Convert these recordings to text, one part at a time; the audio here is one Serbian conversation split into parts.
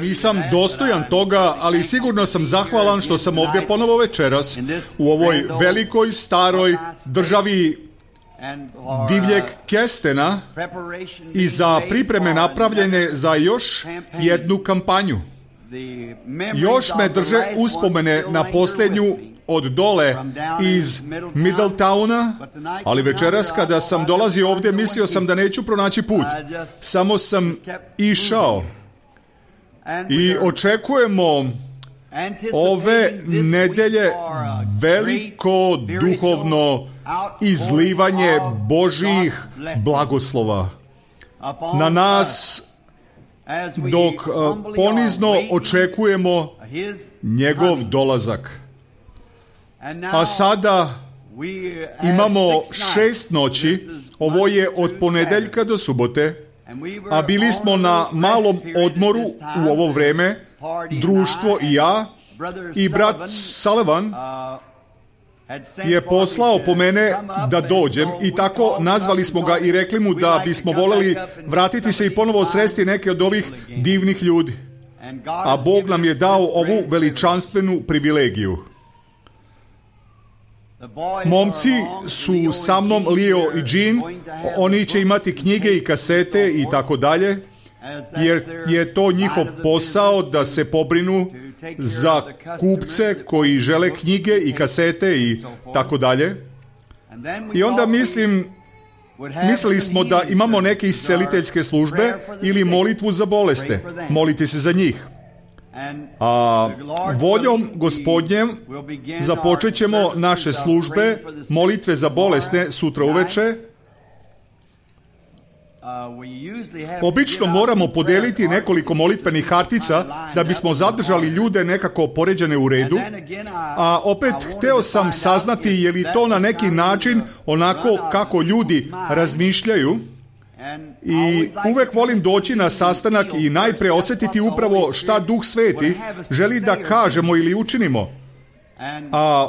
Nisam dostojan toga, ali sigurno sam zahvalan što sam ovdje ponovo večeras u ovoj velikoj, staroj državi divljeg kestena i za pripreme napravljene za još jednu kampanju. Još me drže uspomene na posljednju od dole iz Middletowna, ali večeras kada sam dolazio ovdje mislio sam da neću pronaći put. Samo sam išao i očekujemo ove nedelje veliko duhovno izlivanje Božjih blagoslova na nas dok ponizno očekujemo njegov dolazak. A sada imamo 6 noći, ovo je od ponedjeljka do subote, a bili smo na malom odmoru u ovo vrijeme, društvo i ja, i brat Sullivan je poslao po mene da dođem i tako nazvali smo ga i rekli mu da bismo voljeli vratiti se i ponovo sresti neke od ovih divnih ljudi. A Bog nam je dao ovu veličanstvenu privilegiju. Momci su sa mnom, Leo i Jean, oni će imati knjige i kasete i tako dalje, jer je to njihov posao da se pobrinu za kupce koji žele knjige i kasete i tako dalje. I onda mislili smo da imamo neke isceliteljske službe ili molitvu za bolesne, moliti se za njih. A voljom Gospodnjem započet ćemo naše službe, molitve za bolesne sutra uveče. Obično moramo podijeliti nekoliko molitvenih kartica da bismo zadržali ljude nekako poređane u redu, a opet hteo sam saznati je li to na neki način onako kako ljudi razmišljaju. I uvek volim doći na sastanak i najprije osjetiti upravo šta Duh Sveti želi da kažemo ili učinimo. A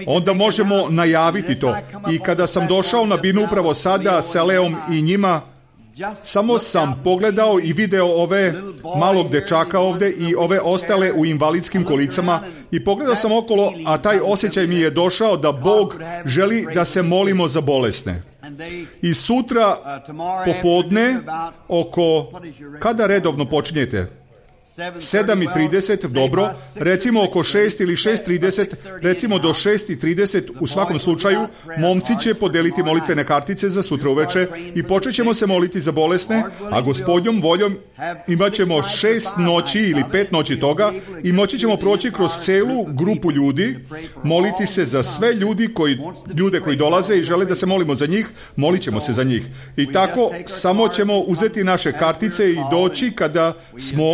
onda možemo najaviti to. I kada sam došao na binu upravo sada sa Leom i njima, samo sam pogledao i video ove malog dečaka ovdje i ove ostale u invalidskim kolicama i pogledao sam okolo, a taj osjećaj mi je došao da Bog želi da se molimo za bolesne. I sutra popodne kada redovno počinjete? 7:30, dobro, recimo oko 6 ili 6:30, recimo do 6:30, u svakom slučaju, momci će podeliti molitvene kartice za sutra uveče i počet ćemo se moliti za bolesne, a Gospodnjom voljom imat ćemo 6 noći ili 5 noći toga i moći ćemo proći kroz celu grupu ljudi, moliti se za sve ljude koji dolaze i žele da se molimo za njih, molit ćemo se za njih. I tako samo ćemo uzeti naše kartice i doći kada smo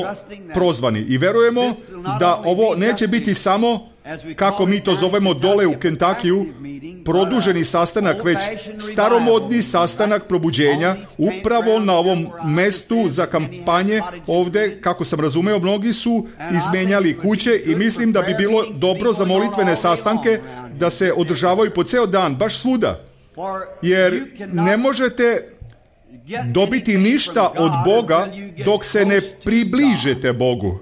prozvani. I verujemo da ovo neće biti samo, kako mi to zovemo dole u Kentakiju, produženi sastanak, već staromodni sastanak probuđenja, upravo na ovom mestu za kampanje ovdje, kako sam razumeo, mnogi su izmenjali kuće i mislim da bi bilo dobro za molitvene sastanke da se održavaju po ceo dan, baš svuda. Jer ne možete dobiti ništa od Boga dok se ne približite Bogu.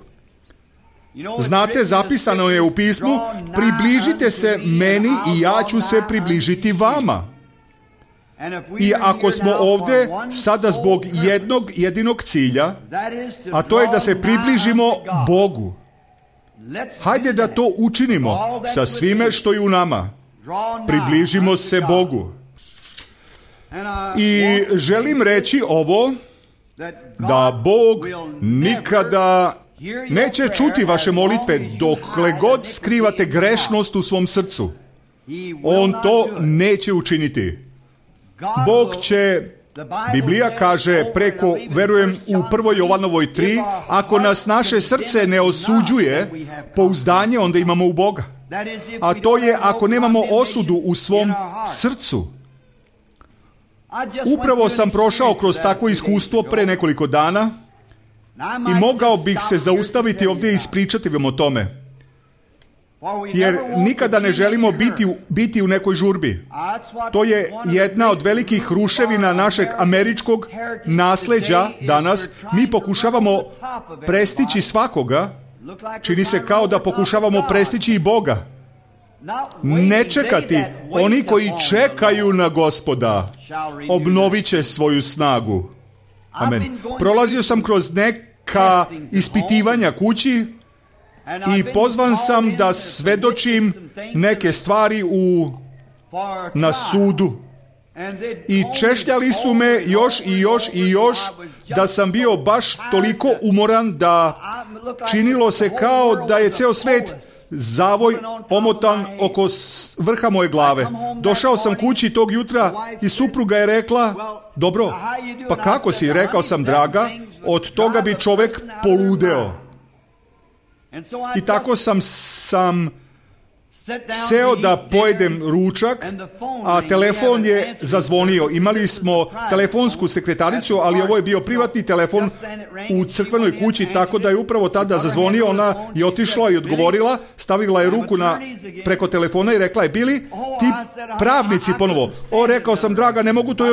Znate, zapisano je u pismu, približite se meni i ja ću se približiti vama. I ako smo ovdje sada zbog jednog jedinog cilja, a to je da se približimo Bogu, hajde da to učinimo sa svime što je u nama. Približimo se Bogu. I želim reći ovo, da Bog nikada neće čuti vaše molitve dokle god skrivate grešnost u svom srcu. On to neće učiniti. Bog će, Biblija kaže preko, verujem u 1. Jovanovoj 3, ako nas naše srce ne osuđuje, pouzdanje onda imamo u Boga. A to je ako nemamo osudu u svom srcu. Upravo sam prošao kroz takvo iskustvo pre nekoliko dana i mogao bih se zaustaviti ovdje i ispričati vam o tome. jer nikada ne želimo biti u nekoj žurbi. To je jedna od velikih ruševina našeg američkog nasleđa danas. Mi pokušavamo prestići svakoga, čini se kao da pokušavamo prestići i Boga. Ne čekati, oni koji čekaju na Gospoda obnovit će svoju snagu. Amen. Prolazio sam kroz neka ispitivanja kući i pozvan sam da svedočim neke stvari na sudu. I češljali su me još da sam bio baš toliko umoran da činilo se kao da je ceo svet zavoj omotan oko vrha moje glave. Došao sam kući tog jutra i supruga je rekla, dobro, pa kako si? Rekao sam, draga, od toga bi čovek poludeo. I tako sam seo da pojedem ručak, a telefon je zazvonio. Imali smo telefonsku sekretaricu, ali ovo je bio privatni telefon u crkvenoj kući, tako da je upravo tada zazvonio. Ona je otišla i odgovorila, stavila je ruku preko telefona i rekla je, Billy, ti pravnici ponovo. Rekao sam, draga, ne mogu to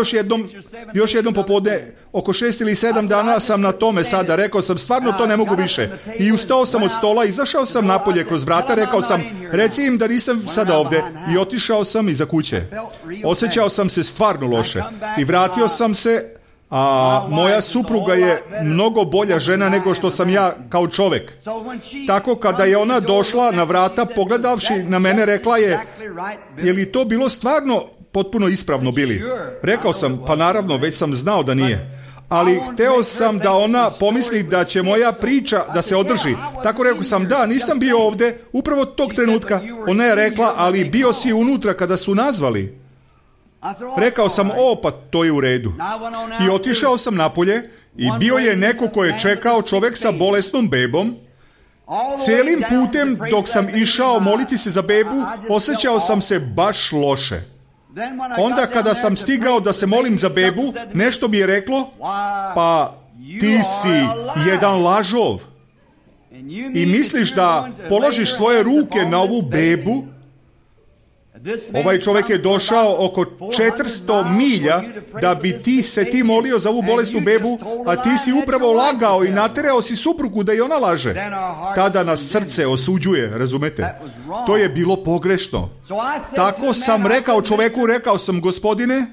još jednom popodne, oko 6 ili 7 dana sam na tome sada. Rekao sam, stvarno to ne mogu više. I ustao sam od stola, izašao sam napolje kroz vrata, rekao sam, reci im da nisam sada ovde, i otišao sam iza kuće. Osjećao sam se stvarno loše i vratio sam se, a moja supruga je mnogo bolja žena nego što sam ja kao čovek. Tako kada je ona došla na vrata, pogledavši na mene, rekla je, je li to bilo stvarno potpuno ispravno, Bili? Rekao sam, pa naravno, već sam znao da nije. Ali hteo sam da ona pomisli da će moja priča da se održi. Tako rekao sam, da, nisam bio ovde upravo tog trenutka. Ona je rekla, ali bio si unutra kada su nazvali. Rekao sam, pa to je u redu. I otišao sam napolje i bio je neko ko je čekao, čovek sa bolesnom bebom. Celim putem dok sam išao moliti se za bebu, osjećao sam se baš loše. Onda kada sam stigao da se molim za bebu, nešto mi je reklo, pa ti si jedan lažov i misliš da položiš svoje ruke na ovu bebu. Ovaj čovjek je došao oko 400 milja da bi ti molio za ovu bolesnu bebu, a ti si upravo lagao i naterao si suprugu da i ona laže. Tada nas srce osuđuje, razumete? To je bilo pogrešno. Tako sam rekao čoveku, rekao sam, gospodine,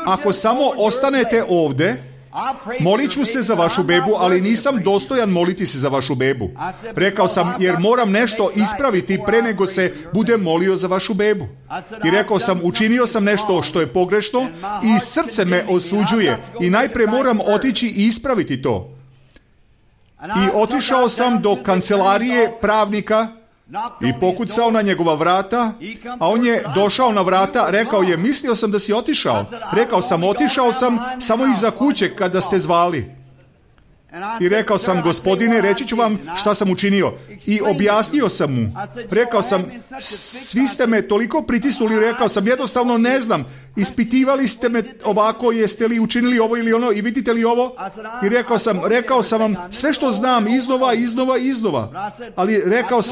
ako samo ostanete ovde, molit ću se za vašu bebu, ali nisam dostojan moliti se za vašu bebu. Rekao sam, jer moram nešto ispraviti pre nego se budem molio za vašu bebu. I rekao sam, učinio sam nešto što je pogrešno i srce me osuđuje i najpre moram otići i ispraviti to. I otišao sam do kancelarije pravnika i pokucao na njegova vrata, a on je došao na vrata, rekao je, mislio sam da si otišao. Rekao sam, otišao sam samo iza kuće kada ste zvali. I rekao sam, gospodine, reći ću vam šta sam učinio. I objasnio sam mu. Rekao sam, svi ste me toliko pritisnuli, rekao sam, jednostavno ne znam. Ispitivali ste me ovako, jeste li učinili ovo ili ono i vidite li ovo? I rekao sam vam sve što znam iznova. Ali rekao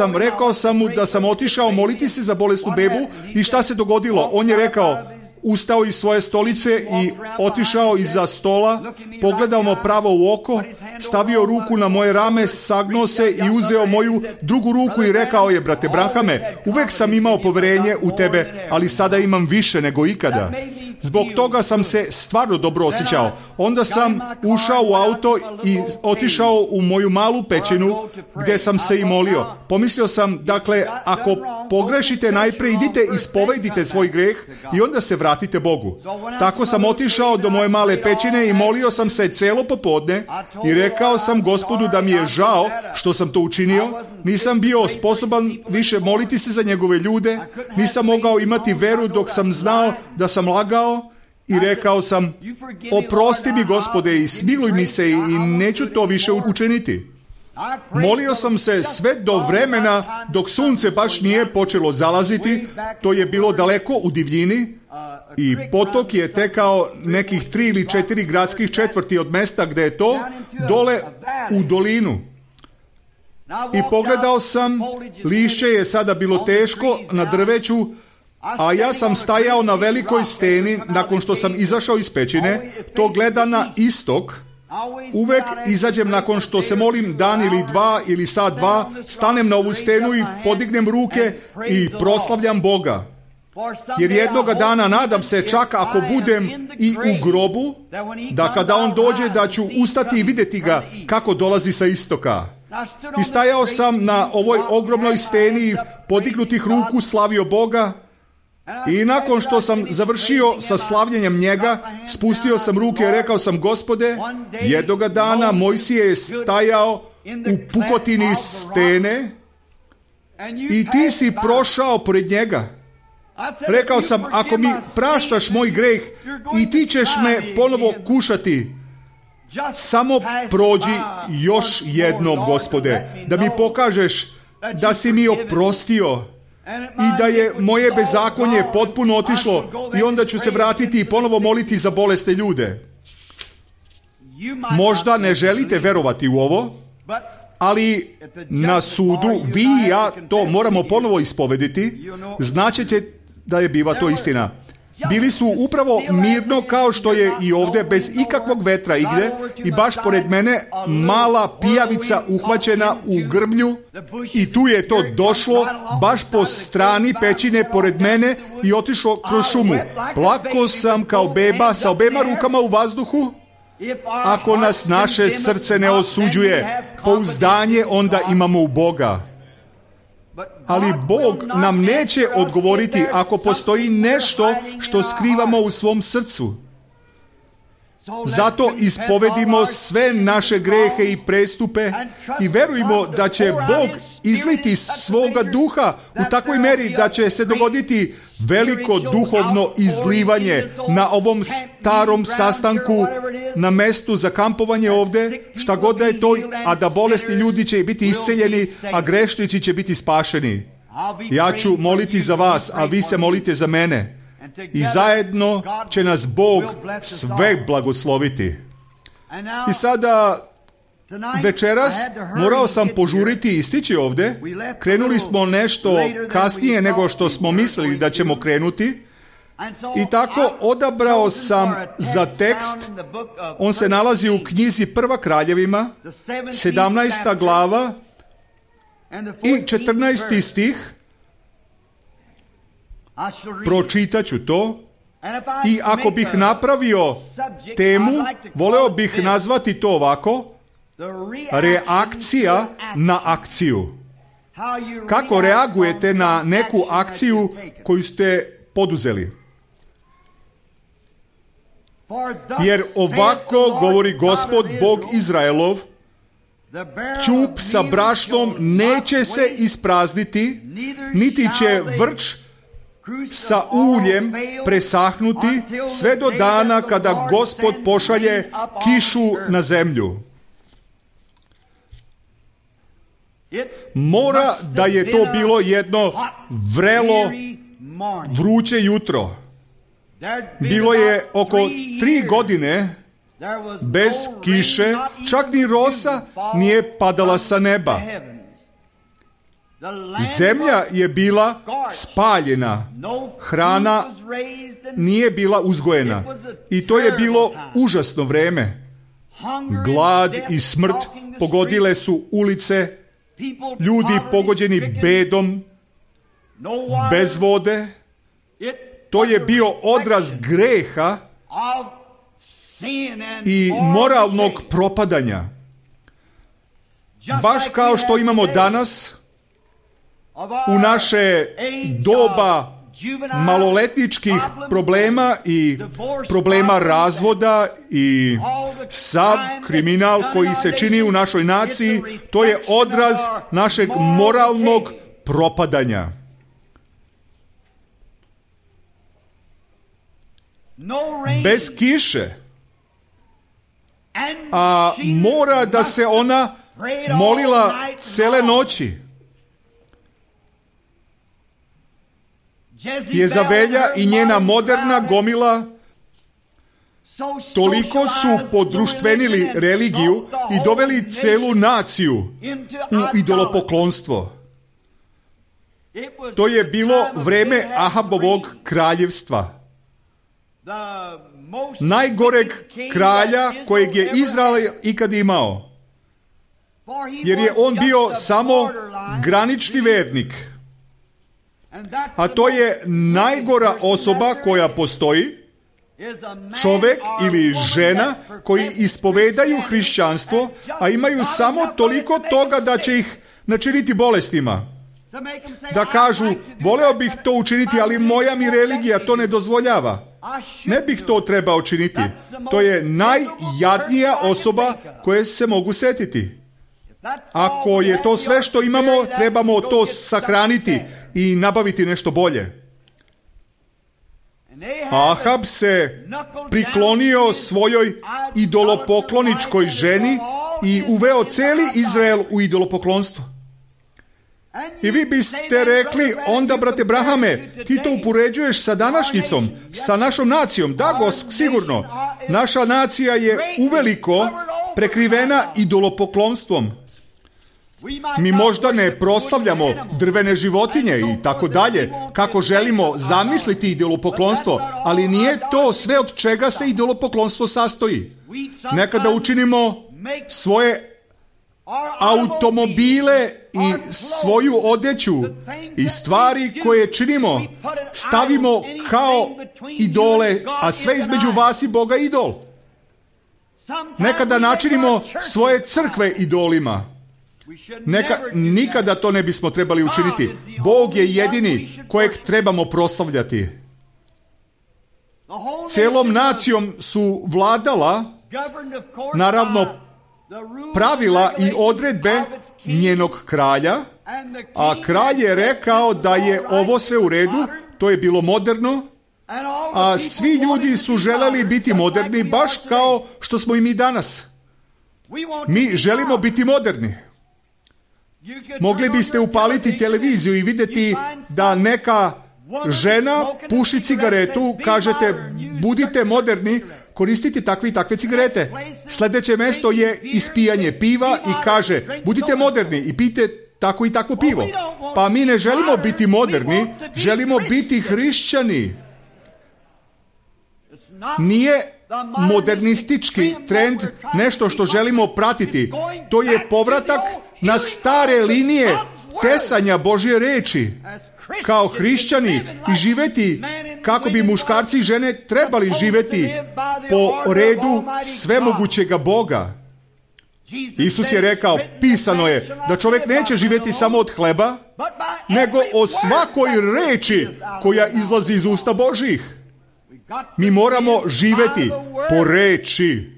sam mu da sam otišao moliti se za bolesnu bebu i šta se dogodilo? On je rekao, ustao iz svoje stolice i otišao iza stola, pogledao me pravo u oko, stavio ruku na moje rame, sagnuo se i uzeo moju drugu ruku i rekao je, brate Branhame, uvek sam imao poverenje u tebe, ali sada imam više nego ikada. Zbog toga sam se stvarno dobro osjećao. Onda sam ušao u auto i otišao u moju malu pećinu gdje sam se i molio. Pomislio sam, dakle, ako pogrešite, najpre idite i ispovedite svoj greh i onda se vratite Bogu. Tako sam otišao do moje male pećine i molio sam se celo popodne i rekao sam Gospodu da mi je žao što sam to učinio. Nisam bio sposoban više moliti se za njegove ljude. Nisam mogao imati veru dok sam znao da sam lagao. I rekao sam, oprosti mi Gospode i smiluj mi se i neću to više učiniti. Molio sam se sve do vremena dok sunce baš nije počelo zalaziti. To je bilo daleko u divljini i potok je tekao nekih 3 ili 4 gradskih četvrti od mesta gde je to, dole u dolinu. I pogledao sam, lišće je sada bilo teško na drveću, a ja sam stajao na velikoj steni nakon što sam izašao iz pećine, to gleda na istok. Uvek izađem nakon što se molim dan ili dva ili sat dva, stanem na ovu stenu i podignem ruke i proslavljam Boga. Jer jednoga dana nadam se, čak ako budem i u grobu, da kada on dođe da ću ustati i vidjeti ga kako dolazi sa istoka. I stajao sam na ovoj ogromnoj steni, podignutih ruku, slavio Boga. I nakon što sam završio sa slavljenjem njega, spustio sam ruke i rekao sam: Gospode, jednoga dana Mojsije je stajao u pukotini stene i ti si prošao pored njega. Rekao sam: ako mi praštaš moj greh i ti ćeš me ponovo kušati, samo prođi još jednom, Gospode, da mi pokažeš da si mi oprostio i da je moje bezakonje potpuno otišlo i onda ću se vratiti i ponovo moliti za bolesne ljude. Možda ne želite verovati u ovo, ali na sudu vi i ja to moramo ponovo ispovediti, značeće da je biva to istina. Bili su upravo mirno kao što je i ovdje, bez ikakvog vetra igde, i baš pored mene mala pijavica uhvaćena u grmlju i tu je to došlo baš po strani pećine pored mene i otišlo kroz šumu. Plako sam kao beba sa obema rukama u vazduhu. Ako nas naše srce ne osuđuje, pouzdanje onda imamo u Boga. Ali Bog nam neće odgovoriti ako postoji nešto što skrivamo u svom srcu. Zato ispovedimo sve naše grehe i prestupe i verujmo da će Bog izliti svoga duha u takvoj meri da će se dogoditi veliko duhovno izlivanje na ovom starom sastanku, na mestu za kampovanje ovdje, šta god da je to, a da bolesni ljudi će biti isceljeni, a grešnici će biti spašeni. Ja ću moliti za vas, a vi se molite za mene. I zajedno će nas Bog sve blagosloviti. I sada, večeras, morao sam požuriti i stići ovdje. Krenuli smo nešto kasnije nego što smo mislili da ćemo krenuti. I tako odabrao sam za tekst, on se nalazi u knjizi Prva Kraljevima, 17. glava i 14. stih. Pročitat ću to i ako bih napravio temu, voleo bih nazvati to ovako: reakcija na akciju. Kako reagujete na neku akciju koju ste poduzeli? Jer ovako govori Gospod Bog Izraelov: ćup sa brašnom neće se isprazniti, niti će vrč sa uljem presahnuti sve do dana kada Gospod pošalje kišu na zemlju. Mora da je to bilo jedno vrelo, vruće jutro. Bilo je oko 3 godine bez kiše, čak ni rosa nije padala sa neba. Zemlja je bila spaljena, hrana nije bila uzgojena i to je bilo užasno vreme. Glad i smrt pogodile su ulice, ljudi pogođeni bedom, bez vode. To je bio odraz greha i moralnog propadanja. Baš kao što imamo danas, u naše doba maloletničkih problema i problema razvoda i sav kriminal koji se čini u našoj naciji, to je odraz našeg moralnog propadanja. Bez kiše, a mora da se ona molila cele noći. Jezavelja i njena moderna gomila toliko su podruštvenili religiju i doveli celu naciju u idolopoklonstvo. To je bilo vreme Ahabovog kraljevstva. Najgoreg kralja kojeg je Izrael ikad imao. Jer je on bio samo granični vernik. A to je najgora osoba koja postoji, čovjek ili žena koji ispovedaju hrišćanstvo, a imaju samo toliko toga da će ih načiniti bolestima. Da kažu, voleo bih to učiniti, ali moja mi religija to ne dozvoljava. Ne bih to trebao činiti. To je najjadnija osoba koje se mogu setiti. Ako je to sve što imamo, trebamo to sahraniti i nabaviti nešto bolje. Ahab se priklonio svojoj idolopokloničkoj ženi i uveo cijeli Izrael u idolopoklonstvo. I vi biste rekli, onda, brate Brahame, ti to upoređuješ sa današnjicom, sa našom nacijom. Da, sigurno. Naša nacija je uveliko prekrivena idolopoklonstvom. Mi možda ne proslavljamo drvene životinje i tako dalje, kako želimo zamisliti idolopoklonstvo, ali nije to sve od čega se idolopoklonstvo sastoji. Nekada učinimo svoje automobile i svoju odjeću i stvari koje činimo stavimo kao idole, a sve između vas i Boga idol. Nekada načinimo svoje crkve idolima. Nikada to ne bismo trebali učiniti. Bog je jedini kojeg trebamo proslavljati. Cijelom nacijom su vladala, naravno, pravila i odredbe njenog kralja, a kralj je rekao da je ovo sve u redu, to je bilo moderno, a svi ljudi su želeli biti moderni, baš kao što smo i mi danas. Mi želimo biti moderni. Mogli biste upaliti televiziju i vidjeti da neka žena puši cigaretu, kažete, budite moderni, koristite takve i takve cigarete. Sljedeće mjesto je ispijanje piva i kaže, budite moderni i pijte tako i tako pivo. Pa mi ne želimo biti moderni, želimo biti hrišćani. Nije modernistički trend nešto što želimo pratiti. To je povratak na stare linije tesanja Božje reči. Kao hrišćani i živjeti kako bi muškarci i žene trebali živjeti po redu svemogućega Boga. Isus je rekao, pisano je da čovjek neće živjeti samo od hleba, nego o svakoj reči koja izlazi iz usta Božjih. Mi moramo živjeti po reči.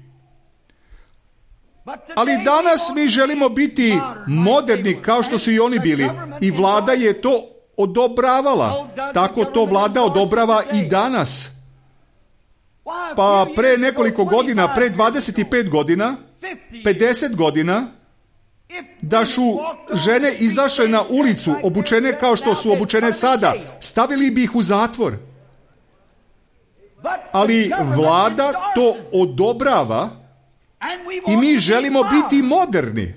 Ali danas mi želimo biti moderni kao što su i oni bili. I vlada je to odobravala. Tako to vlada odobrava i danas. Pa pre nekoliko godina, pre 25 godina, 50 godina, da su žene izašle na ulicu, obučene kao što su obučene sada, stavili bi ih u zatvor. Ali vlada to odobrava i mi želimo biti moderni.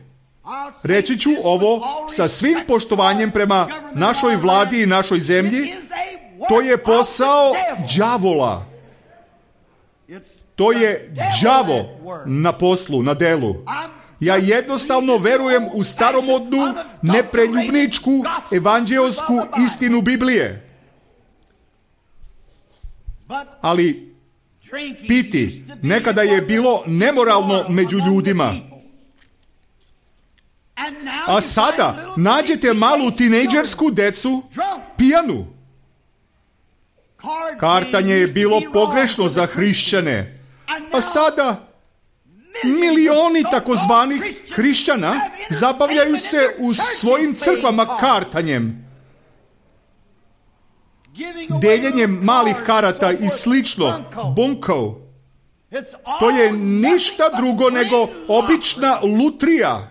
Reći ću ovo sa svim poštovanjem prema našoj vladi i našoj zemlji. To je posao đavola. To je đavo na poslu, na delu. Ja jednostavno verujem u staromodnu, nepreljubničku, evanđeosku istinu Biblije. Ali piti nekada je bilo nemoralno među ljudima. A sada nađete malu tinejdžersku decu pijanu. Kartanje je bilo pogrešno za hrišćane. A sada milioni takozvanih hrišćana zabavljaju se u svojim crkvama kartanjem, deljenjem malih karata i slično, bunkov. To je ništa drugo nego obična lutrija.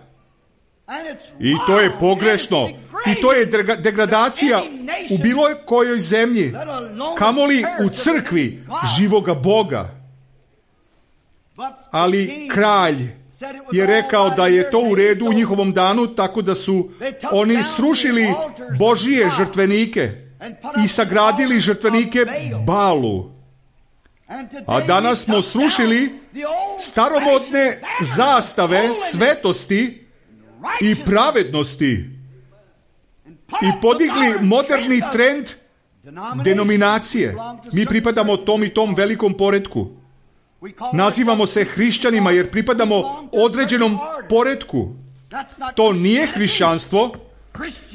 I to je pogrešno. I to je degradacija u bilo kojoj zemlji, kamoli u crkvi živoga Boga. Ali kralj je rekao da je to u redu u njihovom danu, tako da su oni srušili Božije žrtvenike i sagradili žrtvenike Balu. A danas smo srušili staromodne zastave svetosti i pravednosti i podigli moderni trend denominacije. Mi pripadamo tom i tom velikom poretku. Nazivamo se hrišćanima jer pripadamo određenom poretku. To nije hrišćanstvo.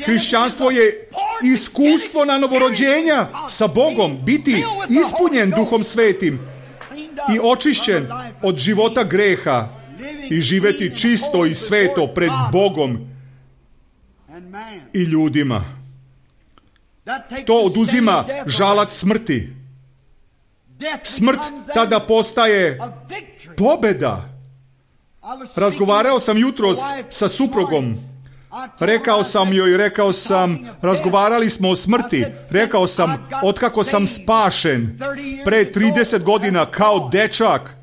Hrišćanstvo je iskustvo na novorođenja sa Bogom, biti ispunjen Duhom Svetim i očišćen od života greha i živeti čisto i sveto pred Bogom i ljudima. To oduzima žalac smrti. Smrt tada postaje pobjeda. Razgovarao sam jutros sa suprugom. Rekao sam, razgovarali smo o smrti. Rekao sam, otkako sam spašen pre 30 godina kao dečak,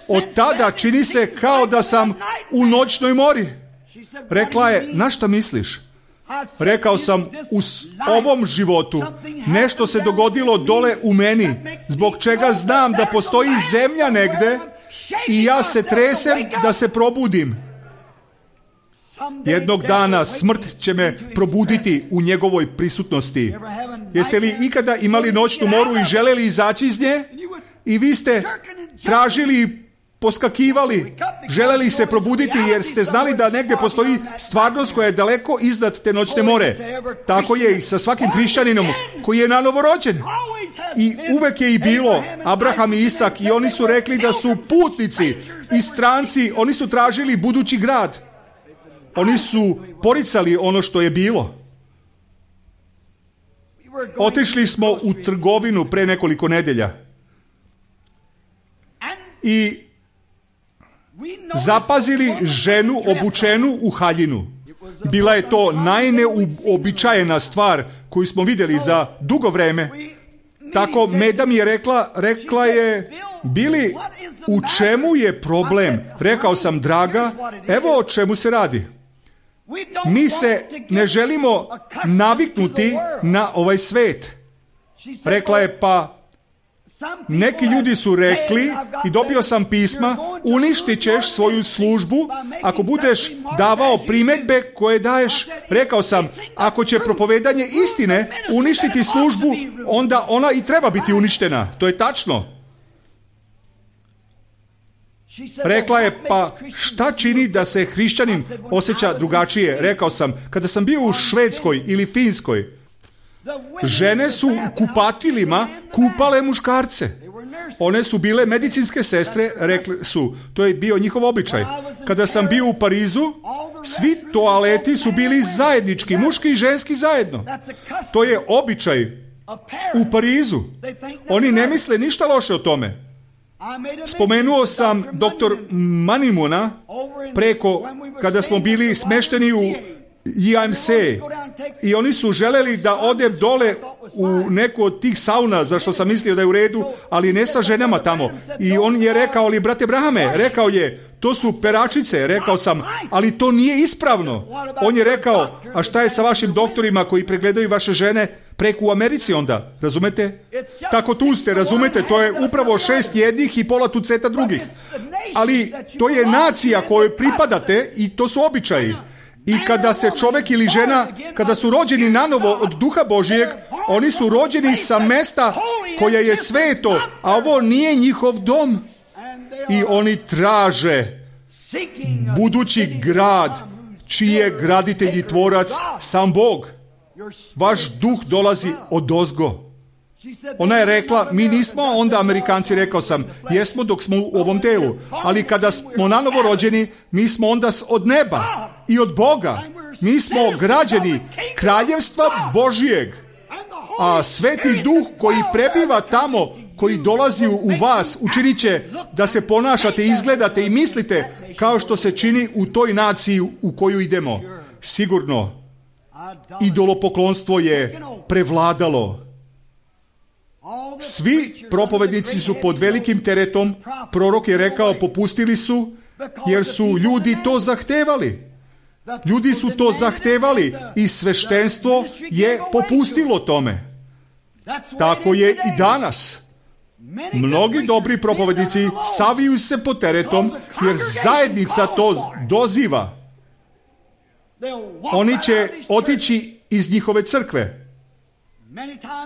od tada čini se kao da sam u noćnoj mori. Rekla je, na šta misliš? Rekao sam, u ovom životu nešto se dogodilo dole u meni, zbog čega znam da postoji zemlja negde i ja se tresem da se probudim. Jednog dana smrt će me probuditi u njegovoj prisutnosti. Jeste li ikada imali noćnu moru i želeli izaći iz nje? I vi ste tražili, poskakivali, želeli se probuditi jer ste znali da negdje postoji stvarnost koja je daleko iznad te noćne more. Tako je i sa svakim hrišćaninom koji je nanovo rođen. I uvek je i bilo Abraham i Isak i oni su rekli da su putnici i stranci, oni su tražili budući grad. Oni su poricali ono što je bilo. Otišli smo u trgovinu pre nekoliko nedelja i zapazili ženu obučenu u haljinu. Bila je to najneobičajena stvar koju smo vidjeli za dugo vreme. Tako Meda mi je rekla je, Bili, u čemu je problem? Rekao sam, draga, evo o čemu se radi. Mi se ne želimo naviknuti na ovaj svet. Rekla je, pa neki ljudi su rekli, i dobio sam pisma, uništit ćeš svoju službu ako budeš davao primjedbe koje daješ. Rekao sam, ako će propovedanje istine uništiti službu, onda ona i treba biti uništena. To je tačno. Rekla je, pa šta čini da se hrišćanin osjeća drugačije? Rekao sam, kada sam bio u Švedskoj ili Finskoj, žene su u kupatilima kupale muškarce. One su bile medicinske sestre, rekli su, to je bio njihov običaj. Kada sam bio u Parizu, svi toaleti su bili zajednički, muški i ženski zajedno. To je običaj u Parizu. Oni ne misle ništa loše o tome. Spomenuo sam doktor Manimuna kada smo bili smešteni u IMC i oni su želeli da odem dole u neku od tih sauna, zašto sam mislio da je u redu, ali ne sa ženama tamo. I on je rekao, ali brate Brahame, rekao je, to su peračice. Rekao sam, ali to nije ispravno. On je rekao, a šta je sa vašim doktorima koji pregledaju vaše žene preko u Americi onda, razumete? Tako tu ste, razumete, to je upravo 6 jednih i pola tuceta drugih. Ali to je nacija kojoj pripadate i to su običaji. I kada se čovjek ili žena, kada su rođeni nanovo od Duha Božijeg, oni su rođeni sa mesta koje je sveto, a ovo nije njihov dom. I oni traže budući grad, čiji je graditelj i tvorac sam Bog. Vaš duh dolazi odozgo. Ona je rekla, mi nismo onda Amerikanci, rekao sam, jesmo dok smo u ovom telu, ali kada smo nanovo rođeni, mi smo onda od neba i od Boga. Mi smo građani kraljevstva Božijeg, a Sveti Duh koji prebiva tamo, koji dolazi u vas, učinit će da se ponašate, izgledate i mislite kao što se čini u toj naciji u koju idemo. Sigurno, idolopoklonstvo je prevladalo. Svi propovednici su pod velikim teretom, prorok je rekao popustili su, jer su ljudi to zahtevali. Ljudi su to zahtevali i sveštenstvo je popustilo tome. Tako je i danas. Mnogi dobri propovednici saviju se pod teretom, jer zajednica to doziva. Oni će otići iz njihove crkve.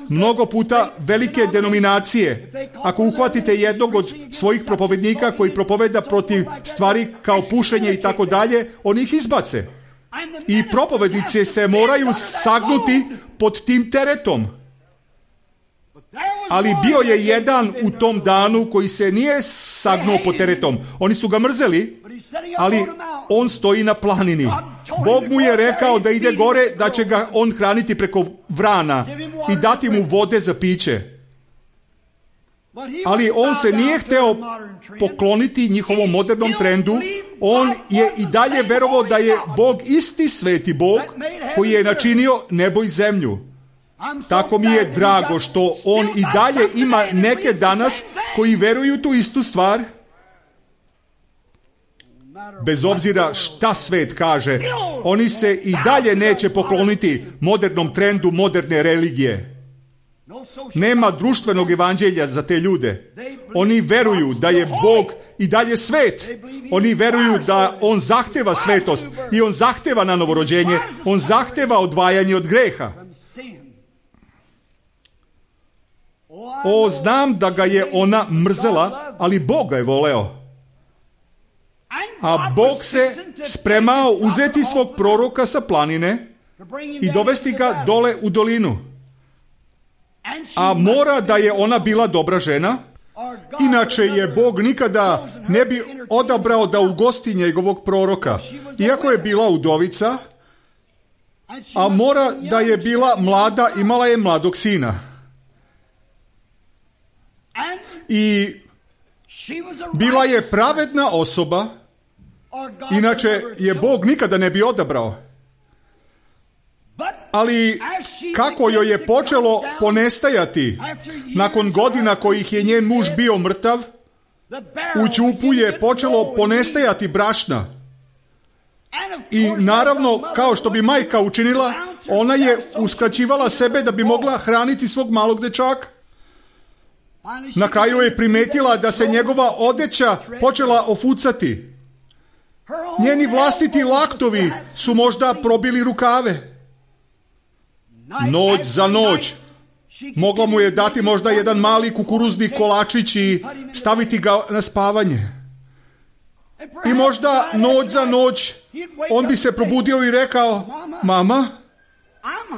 Mnogo puta velike denominacije, ako uhvatite jednog od svojih propovednika koji propoveda protiv stvari kao pušenje i tako dalje, oni ih izbace. I propovednice se moraju sagnuti pod tim teretom. Ali bio je jedan u tom danu koji se nije sagnuo pod teretom. Oni su ga mrzeli, ali on stoji na planini. Bog mu je rekao da ide gore, da će ga on hraniti preko vrana i dati mu vode za piće. Ali on se nije hteo pokloniti njihovom modernom trendu. On je i dalje verovao da je Bog isti sveti Bog koji je načinio nebo i zemlju. Tako mi je drago što on i dalje ima neke danas koji veruju tu istu stvar. Bez obzira šta svet kaže, oni se i dalje neće pokloniti modernom trendu moderne religije. Nema društvenog evanđelja za te ljude. Oni veruju da je Bog i dalje svet. Oni veruju da on zahteva svetost i on zahteva na novorođenje. On zahteva odvajanje od greha. Znam da ga je ona mrzela, ali Bog ga je voleo. A Bog se spremao uzeti svog proroka sa planine i dovesti ga dole u dolinu. A mora da je ona bila dobra žena, inače je Bog nikada ne bi odabrao da ugosti njegovog proroka. Iako je bila udovica, a mora da je bila mlada, imala je mladog sina. I bila je pravedna osoba, inače je Bog nikada ne bi odabrao. Ali kako joj je počelo ponestajati, nakon godina kojih je njen muž bio mrtav, u ćupu je počelo ponestajati brašna. I naravno, kao što bi majka učinila, ona je uskraćivala sebe da bi mogla hraniti svog malog dečaka. Na kraju je primetila da se njegova odeća počela ofucati. Njeni vlastiti laktovi su možda probili rukave. Noć za noć mogla mu je dati možda jedan mali kukuruzni kolačić i staviti ga na spavanje. I možda noć za noć on bi se probudio i rekao: mama,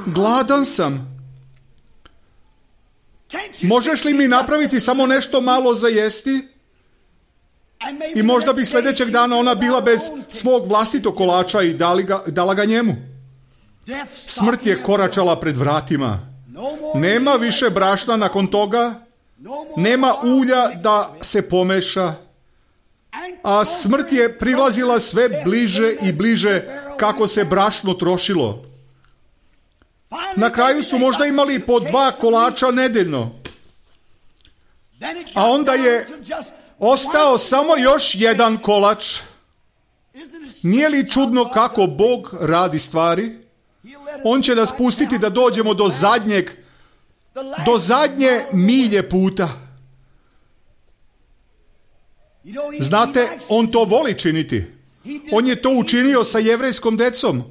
gladan sam. Možeš li mi napraviti samo nešto malo za jesti? I možda bi sljedećeg dana ona bila bez svog vlastitog kolača i dala ga njemu. Smrt je koračala pred vratima. Nema više brašna nakon toga, nema ulja da se pomeša, a smrt je prilazila sve bliže i bliže kako se brašno trošilo. Na kraju su možda imali po 2 kolača nedeljno. A onda je ostao samo još jedan kolač. Nije li čudno kako Bog radi stvari? On će nas pustiti da dođemo do zadnje milje puta. Znate, on to voli činiti. On je to učinio sa jevrejskom decom.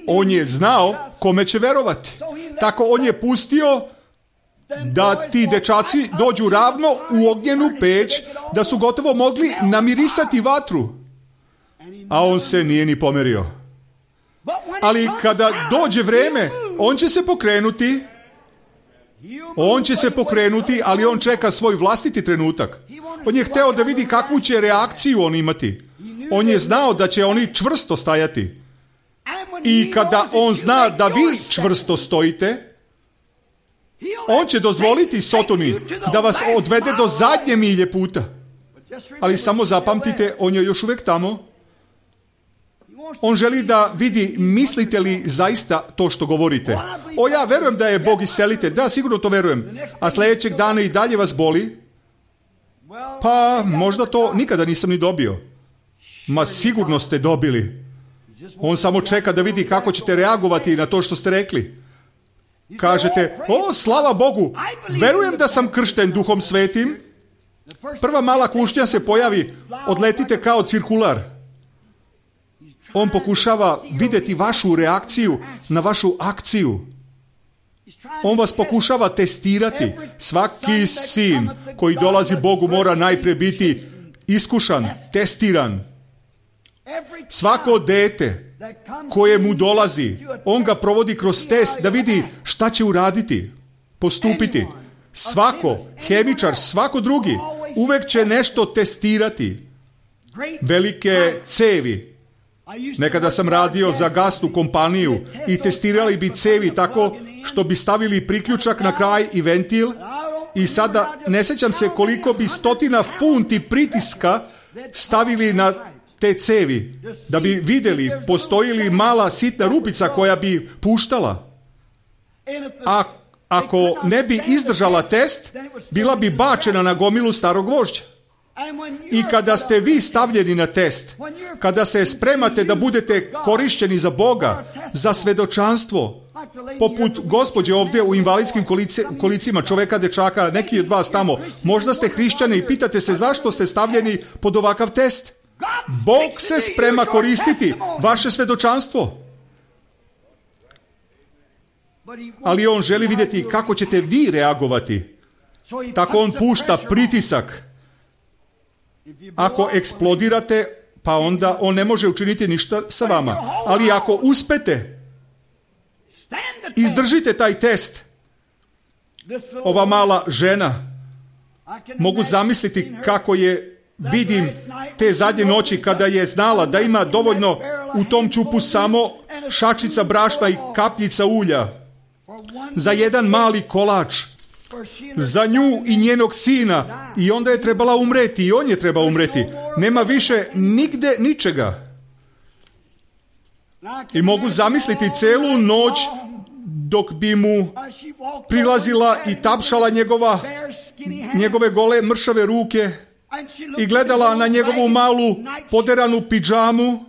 On je znao kome će verovati. Tako on je pustio da ti dečaci dođu ravno u ognjenu peć, da su gotovo mogli namirisati vatru. A on se nije ni pomerio. Ali kada dođe vreme, on će se pokrenuti. On će se pokrenuti, ali on čeka svoj vlastiti trenutak. On je hteo da vidi kakvu će reakciju on imati. On je znao da će oni čvrsto stajati. I kada on zna da vi čvrsto stojite, on će dozvoliti Sotoni da vas odvede do zadnje milje puta. Ali samo zapamtite, on je još uvijek tamo. On želi da vidi mislite li zaista to što govorite. Ja verujem da je Bog iscelitelj. Da, sigurno to verujem. A sljedećeg dana i dalje vas boli? Pa možda to nikada nisam ni dobio. Ma sigurno ste dobili. On samo čeka da vidi kako ćete reagovati na to što ste rekli. Kažete, slava Bogu, verujem da sam kršten Duhom Svetim. Prva mala kušnja se pojavi, odletite kao cirkular. On pokušava vidjeti vašu reakciju na vašu akciju. On vas pokušava testirati. Svaki sin koji dolazi Bogu mora najprije biti iskušan, testiran. Svako dete koje mu dolazi, on ga provodi kroz test da vidi šta će uraditi, postupiti. Svako, hemičar, svako drugi, uvek će nešto testirati. Velike cevi. Nekada sam radio za gasnu kompaniju i testirali bi cevi tako što bi stavili priključak na kraj i ventil i sada ne sjećam se koliko bi 100 funti pritiska stavili na te cevi da bi vidjeli postoji li mala sitna rupica koja bi puštala. A ako ne bi izdržala test, bila bi bačena na gomilu starog gvožđa. I kada ste vi stavljeni na test, kada se spremate da budete korišćeni za Boga, za svedočanstvo, poput gospođe ovdje u invalidskim kolicima, čoveka, dečaka, neki od vas tamo, možda ste hrišćani i pitate se zašto ste stavljeni pod ovakav test. Bog se sprema koristiti vaše svedočanstvo. Ali on želi vidjeti kako ćete vi reagovati. Tako on pušta pritisak. Ako eksplodirate, pa onda on ne može učiniti ništa sa vama. Ali ako uspete, izdržite taj test. Ova mala žena, mogu zamisliti kako je vidim te zadnje noći kada je znala da ima dovoljno u tom čupu samo šačica brašna i kapljica ulja za jedan mali kolač, za nju i njenog sina, i onda je trebala umreti i on je trebao umreti. Nema više nigde ničega. I mogu zamisliti celu noć dok bi mu prilazila i tapšala njegove gole mršave ruke i gledala na njegovu malu poderanu pidžamu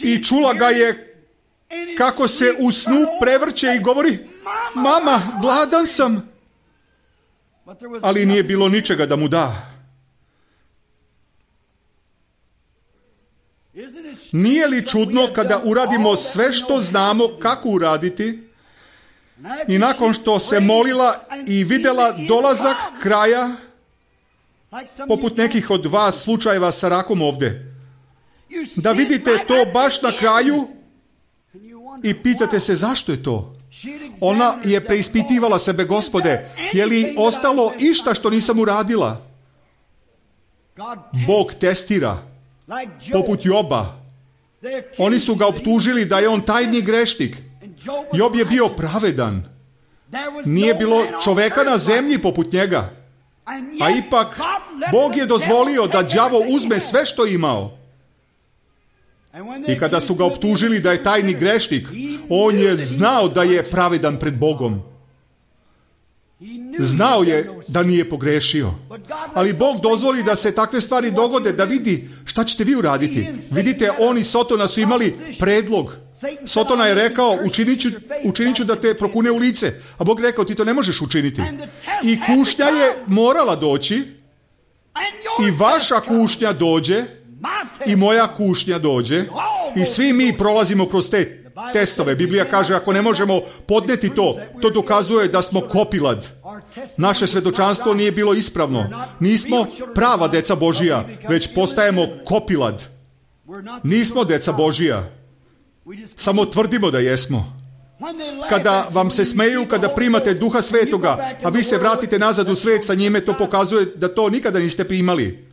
i čula ga je kako se u snu prevrće i govori: mama, gladan sam. Ali nije bilo ničega da mu da. Nije li čudno kada uradimo sve što znamo kako uraditi i nakon što se molila i vidjela dolazak kraja, poput nekih od vas slučajeva sa rakom ovdje, da vidite to baš na kraju i pitate se zašto je to? Ona je preispitivala sebe: Gospode, je li ostalo išta što nisam uradila? Bog testira, poput Joba. Oni su ga optužili da je on tajni grešnik. Job je bio pravedan. Nije bilo čoveka na zemlji poput njega. A ipak Bog je dozvolio da đavo uzme sve što je imao. I kada su ga optužili da je tajni grešnik, on je znao da je pravedan pred Bogom. Znao je da nije pogrešio. Ali Bog dozvoli da se takve stvari dogode, da vidi šta ćete vi uraditi. Vidite, on i Sotona su imali predlog. Sotona je rekao: učinit ću da te prokune u lice. A Bog rekao: ti to ne možeš učiniti. I kušnja je morala doći. I vaša kušnja dođe. I moja kušnja dođe. I svi mi prolazimo kroz te testove. Biblija kaže: ako ne možemo podneti to, to dokazuje da smo kopilad. Naše svedočanstvo nije bilo ispravno. Nismo prava deca Božija, već postajemo kopilad. Nismo deca Božija. Samo tvrdimo da jesmo. Kada vam se smeju, kada primate Duha Svetoga, a vi se vratite nazad u svet sa njime, to pokazuje da to nikada niste primali.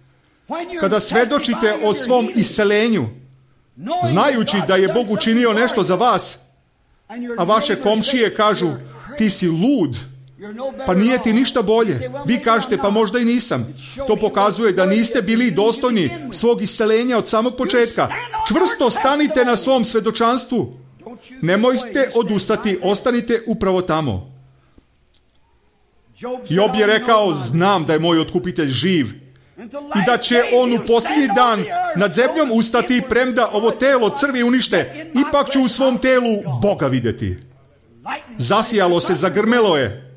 Kada svedočite o svom iscelenju, znajući da je Bog učinio nešto za vas, a vaše komšije kažu: ti si lud, Pa nije ti ništa bolje. Vi kažete, pa možda i nisam. To pokazuje da niste bili dostojni svog isceljenja od samog početka. Čvrsto stanite na svom svedočanstvu. Nemojte odustati, ostanite upravo tamo. Job je rekao, znam da je moj otkupitelj živ i da će on u posljednji dan nad zemljom ustati, premda ovo telo crvi unište, ipak ću u svom telu Boga vidjeti. Zasijalo se, zagrmelo je.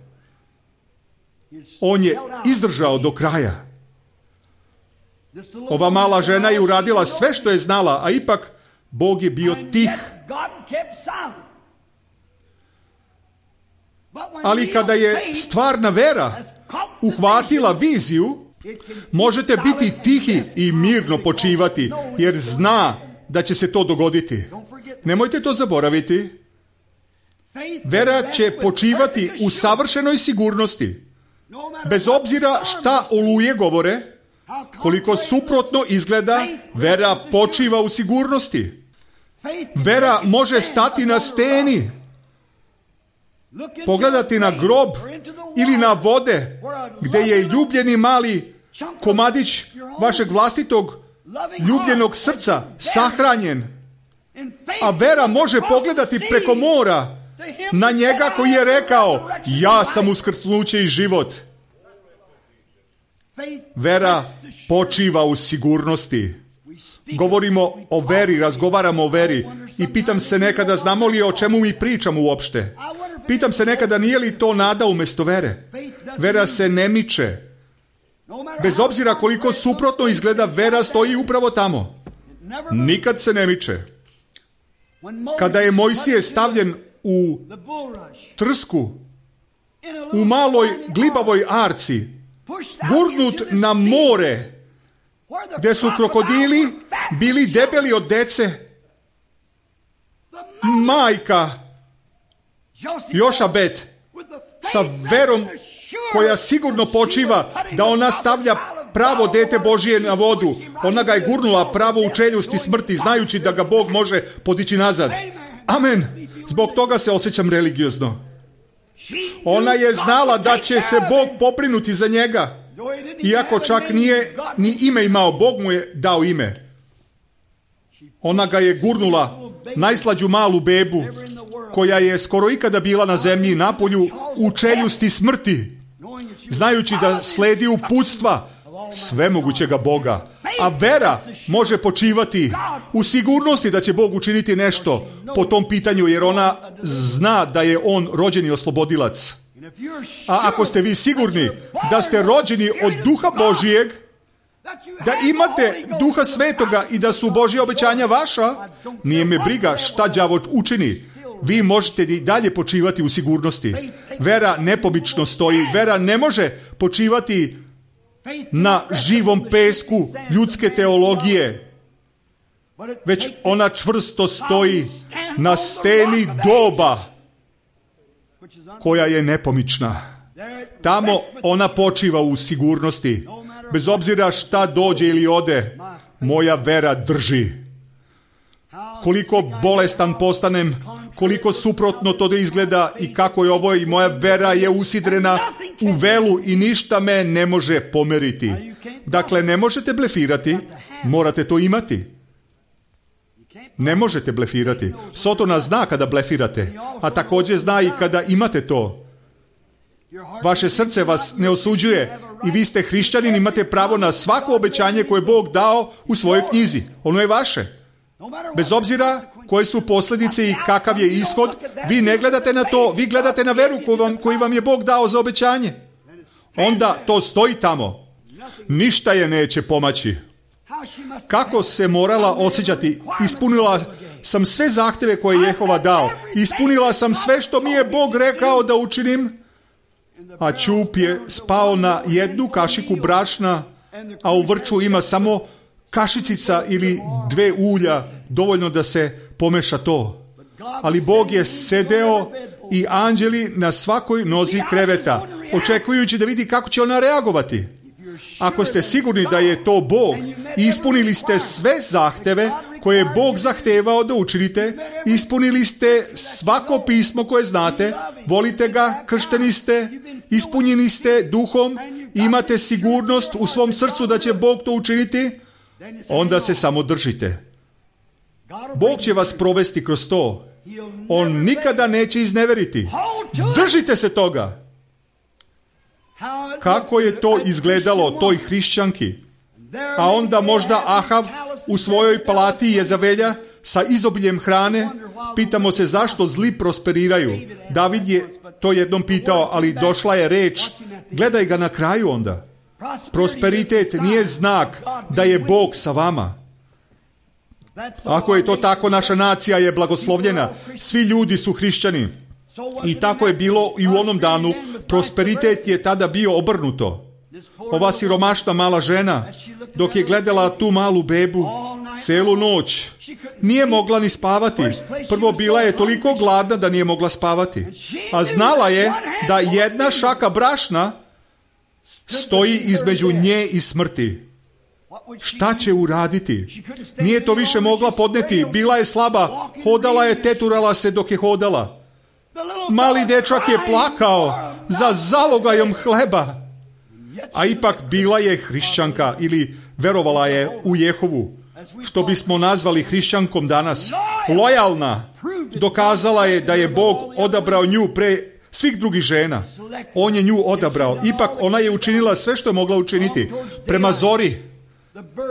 On je izdržao do kraja. Ova mala žena je uradila sve što je znala, a ipak Bog je bio tih. Ali kada je stvarna vera uhvatila viziju, možete biti tihi i mirno počivati, jer zna da će se to dogoditi. Nemojte to zaboraviti. Vera će počivati u savršenoj sigurnosti. Bez obzira šta oluje govore, koliko suprotno izgleda, vera počiva u sigurnosti. Vera može stati na steni, pogledati na grob ili na vode gdje je ljubljeni mali komadić vašeg vlastitog ljubljenog srca sahranjen. A vera može pogledati preko mora na njega koji je rekao, ja sam uskrsnuće i život. Vera počiva u sigurnosti. Govorimo o veri, razgovaramo o veri i pitam se nekada, znamo li o čemu mi pričamo uopšte? Pitam se nekada, nije li to nada umjesto vere? Vera se ne miče. Bez obzira koliko suprotno izgleda, vera stoji upravo tamo. Nikad se ne miče. Kada je Mojsije stavljen u trsku, u maloj glibavoj arci, gurnut na more, gdje su krokodili bili debeli od dece, majka Jošabet sa verom koja sigurno počiva da ona stavlja pravo dete Božije na vodu. Ona ga je gurnula pravo u čeljusti smrti, znajući da ga Bog može podići nazad. Amen. Zbog toga se osjećam religiozno. Ona je znala da će se Bog pobrinuti za njega. Iako čak nije ni ime imao, Bog mu je dao ime. Ona ga je gurnula, najslađu malu bebu, koja je skoro ikada bila na zemlji napolju, u čeljusti smrti, znajući da sledi uputstva svemogućega Boga. A vera može počivati u sigurnosti da će Bog učiniti nešto po tom pitanju, jer ona zna da je on rođeni oslobodilac. A ako ste vi sigurni da ste rođeni od Duha Božijeg, da imate Duha Svetoga i da su Božja obećanja vaša, nije me briga šta đavo učini. Vi možete i dalje počivati u sigurnosti. Vera nepobično stoji. Vera ne može počivati na živom pesku ljudske teologije, već ona čvrsto stoji na steni doba koja je nepomična. Tamo ona počiva u sigurnosti. Bez obzira šta dođe ili ode, moja vera drži. Koliko bolestan postanem, koliko suprotno to da izgleda i kako je ovo, i moja vera je usidrena u velu i ništa me ne može pomeriti. Dakle, ne možete blefirati, morate to imati. Ne možete blefirati. Sotona zna kada blefirate, a također zna i kada imate to. Vaše srce vas ne osuđuje i vi ste hrišćanin, imate pravo na svako obećanje koje je Bog dao u svojoj knjizi. Ono je vaše. Bez obzira koje su posljedice i kakav je ishod, vi ne gledate na to, vi gledate na veru koju vam je Bog dao za obećanje. Onda to stoji tamo. Ništa je neće pomaći. Kako se morala osjećati? Ispunila sam sve zahtjeve koje je Jehova dao. Ispunila sam sve što mi je Bog rekao da učinim. A ćup je spao na jednu kašiku brašna, a u vrču ima samo kašicica ili 2 ulja, dovoljno da se pomeša to. Ali Bog je sedeo i anđeli na svakoj nozi kreveta, očekujući da vidi kako će ona reagovati. Ako ste sigurni da je to Bog i ispunili ste sve zahteve koje je Bog zahtevao da učinite, ispunili ste svako pismo koje znate, volite ga, kršteni ste ispunjeni ste duhom, imate sigurnost u svom srcu da će Bog to učiniti, onda se samo držite. Bog će vas provesti kroz to. On nikada neće izneveriti. Držite se toga. Kako je to izgledalo toj hrišćanki? A onda možda Ahav u svojoj palati Jezavelja sa izobiljem hrane. Pitamo se zašto zli prosperiraju. David je to jednom pitao, ali došla je reč. Gledaj ga na kraju onda. Prosperitet nije znak da je Bog sa vama. Ako je to tako, naša nacija je blagoslovljena. Svi ljudi su hrišćani. I tako je bilo i u onom danu. Prosperitet je tada bio obrnuto. Ova siromašna mala žena, dok je gledala tu malu bebu celu noć, nije mogla ni spavati. Prvo, bila je toliko gladna da nije mogla spavati. A znala je da jedna šaka brašna stoji između nje i smrti. Šta će uraditi? Nije to više mogla podneti. Bila je slaba. Hodala je, teturala se dok je hodala. Mali dečak je plakao za zalogajom hleba. A ipak bila je hrišćanka ili verovala je u Jehovu. Što bismo nazvali hrišćankom danas. Lojalna. Dokazala je da je Bog odabrao nju pre svih drugih žena. On je nju odabrao. Ipak ona je učinila sve što je mogla učiniti. Prema zori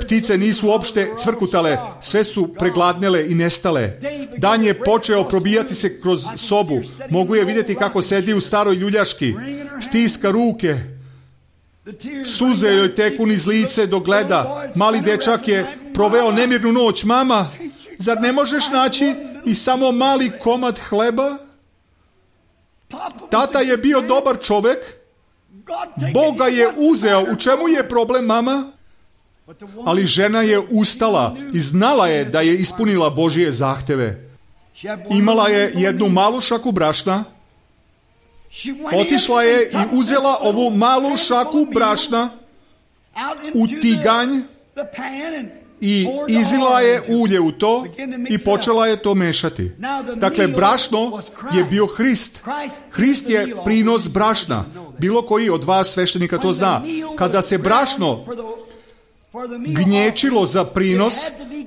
ptice nisu uopšte cvrkutale, sve su pregladnele i nestale. Dan je počeo probijati se kroz sobu. Mogu je vidjeti kako sedi u staroj ljuljaški. Stiska ruke. Suze joj teku niz lice dok gleda. Mali dečak je proveo nemirnu noć. Mama, zar ne možeš naći i samo mali komad hleba? Tata je bio dobar čovjek. Bog ga je uzeo. U čemu je problem, mama? Ali žena je ustala i znala je da je ispunila Božje zahteve. Imala je jednu malu šaku brašna. Otišla je i uzela ovu malu šaku brašna u tiganj i izlila je ulje u to i počela je to mešati. Dakle, brašno je bio Hrist. Hrist je prinos brašna. Bilo koji od vas sveštenika to zna. Kada se brašno gnječilo za prinos,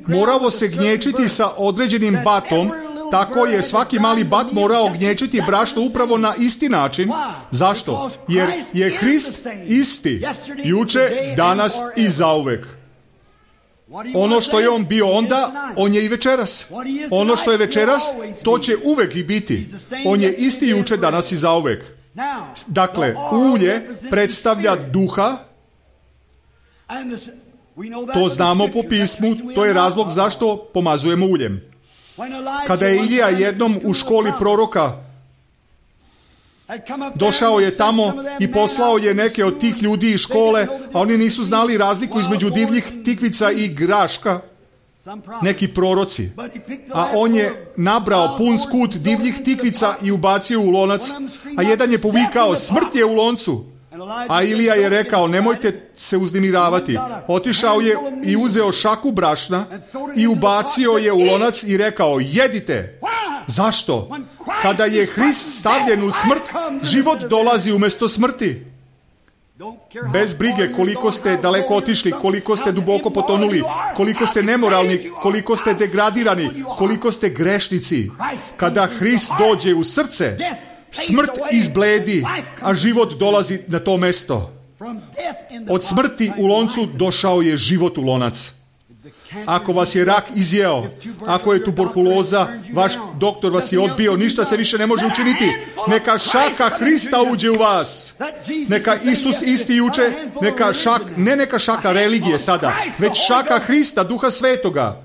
moralo se gnječiti sa određenim batom. Tako je svaki mali bat morao gnječiti brašno upravo na isti način. Zašto? Jer je Hrist isti, juče, danas i zauvek. Ono što je on bio onda, on je i večeras. Ono što je večeras, to će uvek i biti. On je isti juče, danas i zauvek. Dakle, ulje predstavlja duha. To znamo po pismu, to je razlog zašto pomazujemo uljem. Kada je Ilija jednom u školi proroka došao je tamo i poslao je neke od tih ljudi iz škole, a oni nisu znali razliku između divljih tikvica i graška, neki proroci. A on je nabrao pun skut divljih tikvica i ubacio u lonac, a jedan je povikao, smrt je u loncu. A Ilija je rekao, nemojte se uznemiravati. Otišao je i uzeo šaku brašna i ubacio je u lonac i rekao, jedite. Zašto? Kada je Hrist stavljen u smrt, život dolazi umjesto smrti. Bez brige koliko ste daleko otišli, koliko ste duboko potonuli, koliko ste nemoralni, koliko ste degradirani, koliko ste grešnici. Kada Hrist dođe u srce, smrt izbledi, a život dolazi na to mesto. Od smrti u loncu došao je život u lonac. Ako vas je rak izjeo, ako je tuberkuloza, vaš doktor vas je odbio, ništa se više ne može učiniti. Neka šaka Hrista uđe u vas. Neka Isus isti juče, neka šaka religije sada, već šaka Hrista, Duha Svetoga,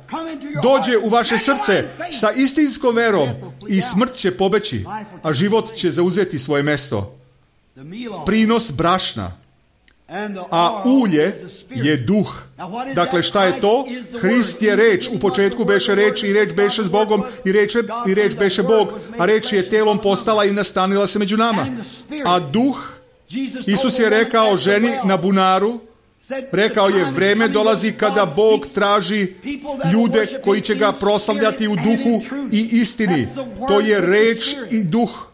dođe u vaše srce sa istinskom verom i smrt će pobeći, a život će zauzeti svoje mesto. Prinos brašna. A ulje je duh. Dakle, šta je to? Hrist je reč. U početku beše reč i reč beše s Bogom i reč beše Bog. A reč je telom postala i nastanila se među nama. A duh, Isus je rekao ženi na bunaru, rekao je, vreme dolazi kada Bog traži ljude koji će ga proslavljati u duhu i istini. To je reč i duh.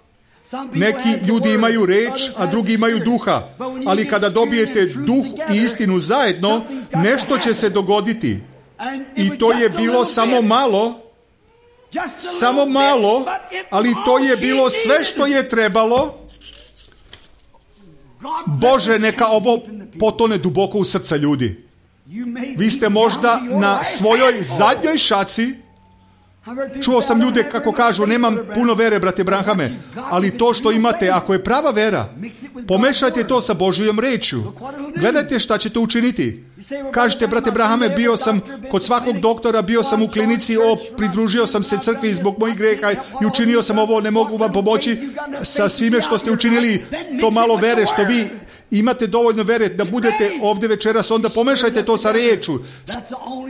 Neki ljudi imaju reč, a drugi imaju duha. Ali kada dobijete duh i istinu zajedno, nešto će se dogoditi. I to je bilo samo malo, ali to je bilo sve što je trebalo. Bože, neka ovo potone duboko u srca ljudi. Vi ste možda na svojoj zadnjoj šaci. Čuo sam ljude kako kažu, nemam puno vere, brate Branhame, ali to što imate, ako je prava vera, pomešajte to sa Božjom rečju. Gledajte šta će to učiniti. Kažete, brate Branhame, bio sam kod svakog doktora, bio sam u klinici, pridružio sam se crkvi zbog mojih greha i učinio sam ovo, ne mogu vam pomoći sa svime što ste učinili. To malo vere što vi imate dovoljno vere da budete ovdje večeras, onda pomešajte to sa riječu.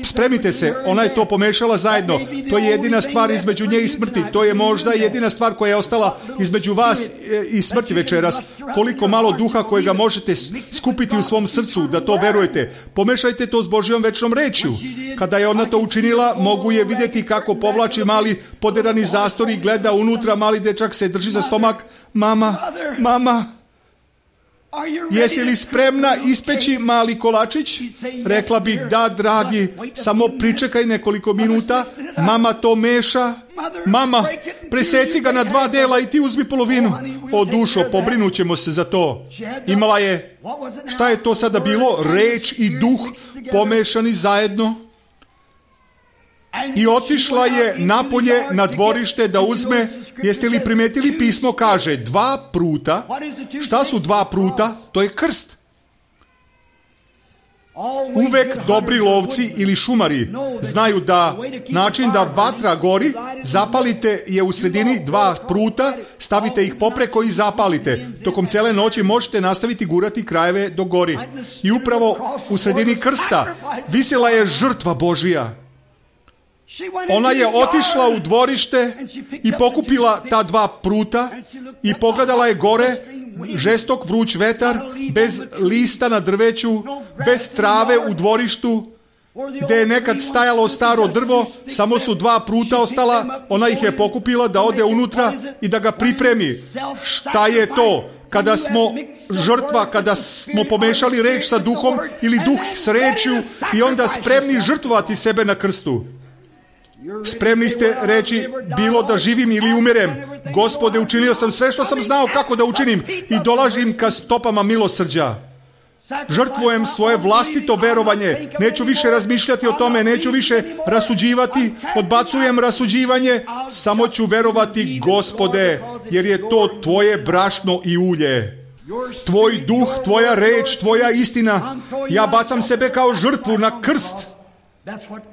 Spremite se, ona je to pomešala zajedno. To je jedina stvar između nje i smrti. To je možda jedina stvar koja je ostala između vas i smrti večeras. Koliko malo duha kojega možete skupiti u svom srcu da to verujete. Pomešajte to s Božjom večnom rečju. Kada je ona to učinila, mogu je vidjeti kako povlači mali poderani zastor i gleda unutra, mali dečak se drži za stomak. Mama, jesi li spremna ispeći mali kolačić? Rekla bi, da, dragi, samo pričekaj nekoliko minuta. Mama to meša. Mama, preseci ga na 2 dela i ti uzmi polovinu. O dušo, pobrinut ćemo se za to. Imala je, šta je to sada bilo? Reč i duh pomešani zajedno. I otišla je napolje na dvorište da uzme, jeste li primijetili, pismo kaže 2 pruta. Šta su 2 pruta? To je krst. Uvek dobri lovci ili šumari znaju da način da vatra gori, zapalite je u sredini 2 pruta, stavite ih popreko i zapalite. Tokom cijele noći možete nastaviti gurati krajeve do gori. I upravo u sredini krsta visela je žrtva Božija. Ona je otišla u dvorište i pokupila ta 2 pruta i pogledala je gore, žestok vruć vetar, bez lista na drveću, bez trave u dvorištu, gdje je nekad stajalo staro drvo, samo su 2 pruta ostala, ona ih je pokupila da ode unutra i da ga pripremi. Šta je to? Kada smo žrtva, kada smo pomešali reč sa duhom ili duh s rečju i onda spremni žrtvovati sebe na krstu. Spremni ste reći, bilo da živim ili umirem. Gospode, učinio sam sve što sam znao kako da učinim i dolažim ka stopama milosrđa. Žrtvujem svoje vlastito verovanje. Neću više razmišljati o tome, neću više rasuđivati, odbacujem rasuđivanje, samo ću verovati, Gospode, jer je to tvoje brašno i ulje. Tvoj duh, tvoja reč, tvoja istina. Ja bacam sebe kao žrtvu na krst.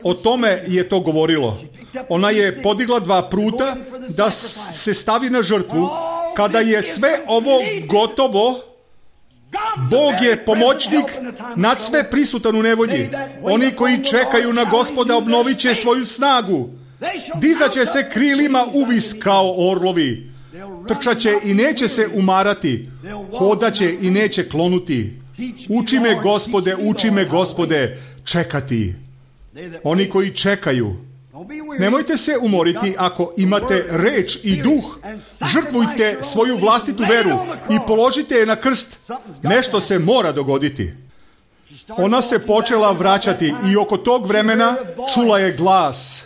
O tome je to govorilo. Ona je podigla 2 pruta da se stavi na žrtvu. Kada je sve ovo gotovo, Bog je pomoćnik nad sve prisutan u nevolji. Oni koji čekaju na Gospoda obnovit će svoju snagu. Dizat će se krilima uvis kao orlovi. Trčat će i neće se umarati. Hodat će i neće klonuti. Uči me, Gospode, čekati. Oni koji čekaju. Nemojte se umoriti ako imate reč i duh. Žrtvujte svoju vlastitu veru i položite je na krst. Nešto se mora dogoditi. Ona se počela vraćati i oko tog vremena čula je glas.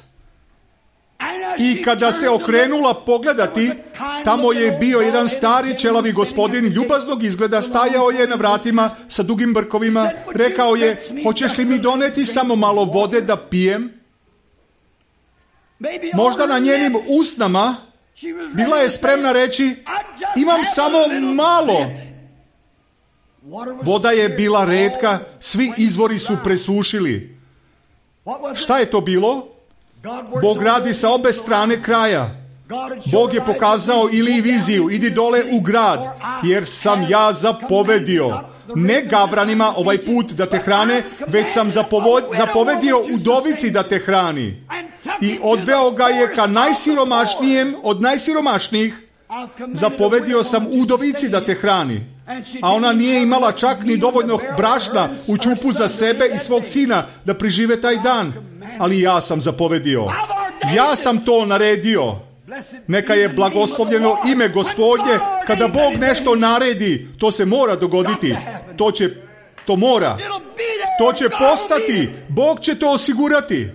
I kada se okrenula pogledati, tamo je bio jedan stari čelavi gospodin, ljubaznog izgleda, stajao je na vratima sa dugim brkovima. Rekao je, hoćeš li mi doneti samo malo vode da pijem? Možda na njenim usnama bila je spremna reći, imam samo malo. Voda je bila retka, svi izvori su presušili. Šta je to bilo? Bog radi sa obe strane kraja. Bog je pokazao ili viziju, idi dole u grad, jer sam ja zapovedio. Ne gavranima ovaj put da te hrane, već sam zapovedio udovici da te hrani. I odveo ga je ka najsiromašnijem od najsiromašnijih. Zapovedio sam udovici da te hrani. A ona nije imala čak ni dovoljno brašna u ćupu za sebe i svog sina da prežive taj dan. Ali ja sam zapovedio. Ja sam to naredio. Neka je blagoslovljeno ime Gospodnje. Kada Bog nešto naredi, to se mora dogoditi. To mora. To će postati. Bog će to osigurati.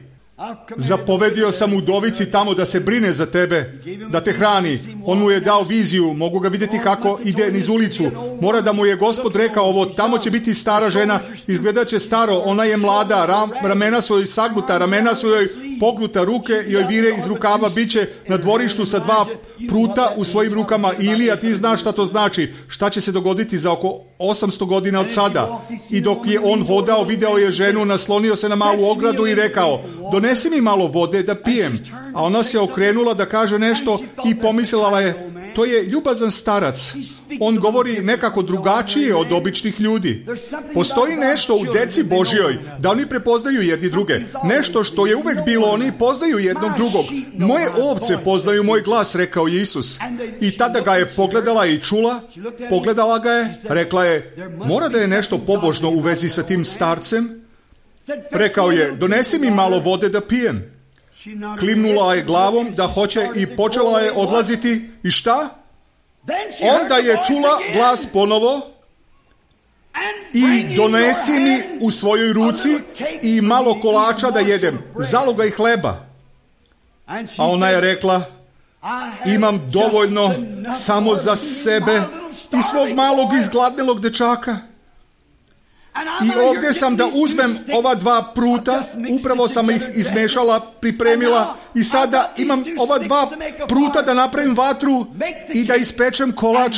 Zapovedio sam udovici tamo da se brine za tebe, da te hrani. On mu je dao viziju, mogu ga vidjeti kako ide niz ulicu. Mora da mu je Gospod rekao ovo, tamo će biti stara žena, izgledat će staro, ona je mlada, ramena su joj sagnuta, ramena su joj pognuta, ruke joj vire iz rukava, bit će na dvorištu sa 2 pruta u svojim rukama. Ilija, ti znaš šta to znači, šta će se dogoditi za oko 800 godina od sada. I dok je on hodao, video je ženu, naslonio se na malu ogradu i rekao, donesi mi malo vode da pijem. A ona se okrenula da kaže nešto i pomislila je, to je ljubazan starac. On govori nekako drugačije od običnih ljudi. Postoji nešto u deci Božjoj, da oni prepoznaju jedni druge. Nešto što je uvek bilo, oni poznaju jednog drugog. Moje ovce poznaju moj glas, rekao je Isus. I tada ga je pogledala i čula, pogledala ga je, rekla je, mora da je nešto pobožno u vezi sa tim starcem. Rekao je, donesi mi malo vode da pijem. Klimnula je glavom da hoće i počela je odlaziti. I šta? Onda je čula glas ponovo i donesi mi u svojoj ruci i malo kolača da jedem, zalogaj hleba. A ona je rekla, imam dovoljno samo za sebe i svog malog izgladnelog dečaka. I ovdje sam da uzmem ova 2 pruta, upravo sam ih izmešala, pripremila i sada imam ova 2 pruta da napravim vatru i da ispečem kolač,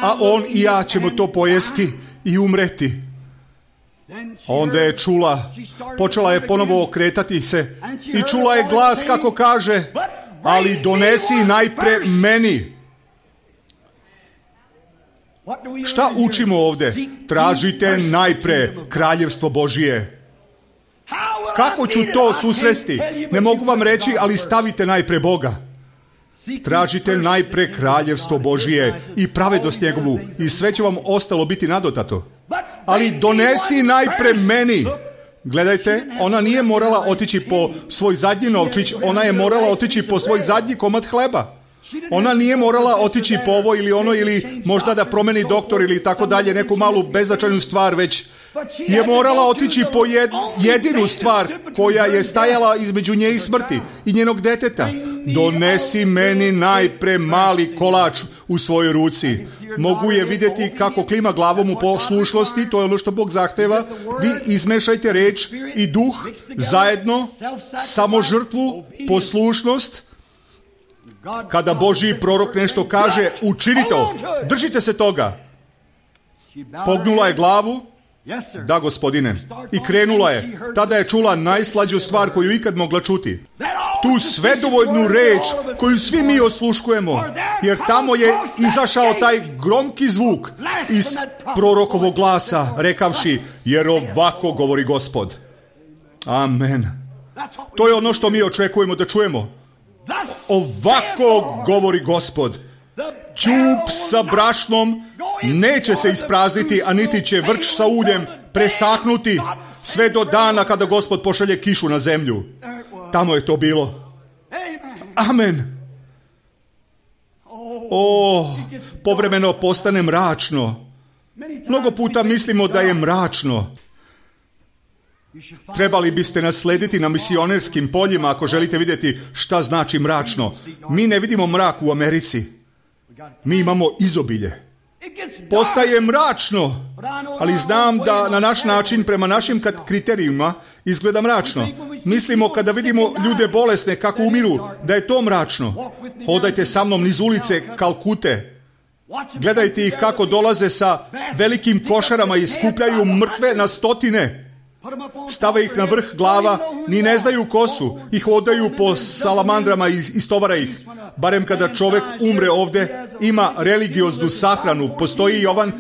a on i ja ćemo to pojesti i umreti. Onda je čula, počela je ponovo okretati se i čula je glas kako kaže, ali donesi najpre meni. Šta učimo ovdje? Tražite najpre kraljevstvo Božije. Kako ću to susresti? Ne mogu vam reći, ali stavite najpre Boga. Tražite najpre kraljevstvo Božije i pravednost njegovu i sve će vam ostalo biti nadotato. Ali donesi najpre meni. Gledajte, ona nije morala otići po svoj zadnji novčić, ona je morala otići po svoj zadnji komad hleba. Ona nije morala otići po ovo ili ono ili možda da promeni doktor ili tako dalje, neku malu beznačajnu stvar, već je morala otići po jedinu stvar koja je stajala između nje i smrti i njenog deteta. Donesi meni najpre mali kolač u svojoj ruci. Mogu je vidjeti kako klima glavom u poslušnosti, to je ono što Bog zahteva. Vi izmešajte reč i duh zajedno, samo žrtvu, poslušnost. Kada Božji prorok nešto kaže, učini to, držite se toga. Pognula je glavu, da gospodine, i krenula je. Tada je čula najslađu stvar koju ikad mogla čuti. Tu svedovoljnu reč koju svi mi osluškujemo, jer tamo je izašao taj gromki zvuk iz prorokovog glasa, rekavši, jer ovako govori Gospod. Amen. To je ono što mi očekujemo da čujemo. Ovako govori Gospod. Ćup sa brašnom neće se isprazniti, a niti će vrč sa uljem presahnuti sve do dana kada Gospod pošalje kišu na zemlju. Tamo je to bilo. Amen. Povremeno postane mračno. Mnogo puta mislimo da je mračno. Trebali biste nas slediti na misionerskim poljima ako želite vidjeti šta znači mračno. Mi ne vidimo mrak u Americi. Mi imamo izobilje. Postaje mračno, ali znam da na naš način, prema našim kriterijima, izgleda mračno. Mislimo kada vidimo ljude bolesne kako umiru, da je to mračno. Hodajte sa mnom niz ulice Kalkute. Gledajte ih kako dolaze sa velikim košarama i skupljaju mrtve na stotine. Stave ih na vrh glava, ni ne znaju ko su, i hodaju po salamandrama i istovara ih. Barem kada čovjek umre ovdje, ima religioznu sahranu, postoji Jovan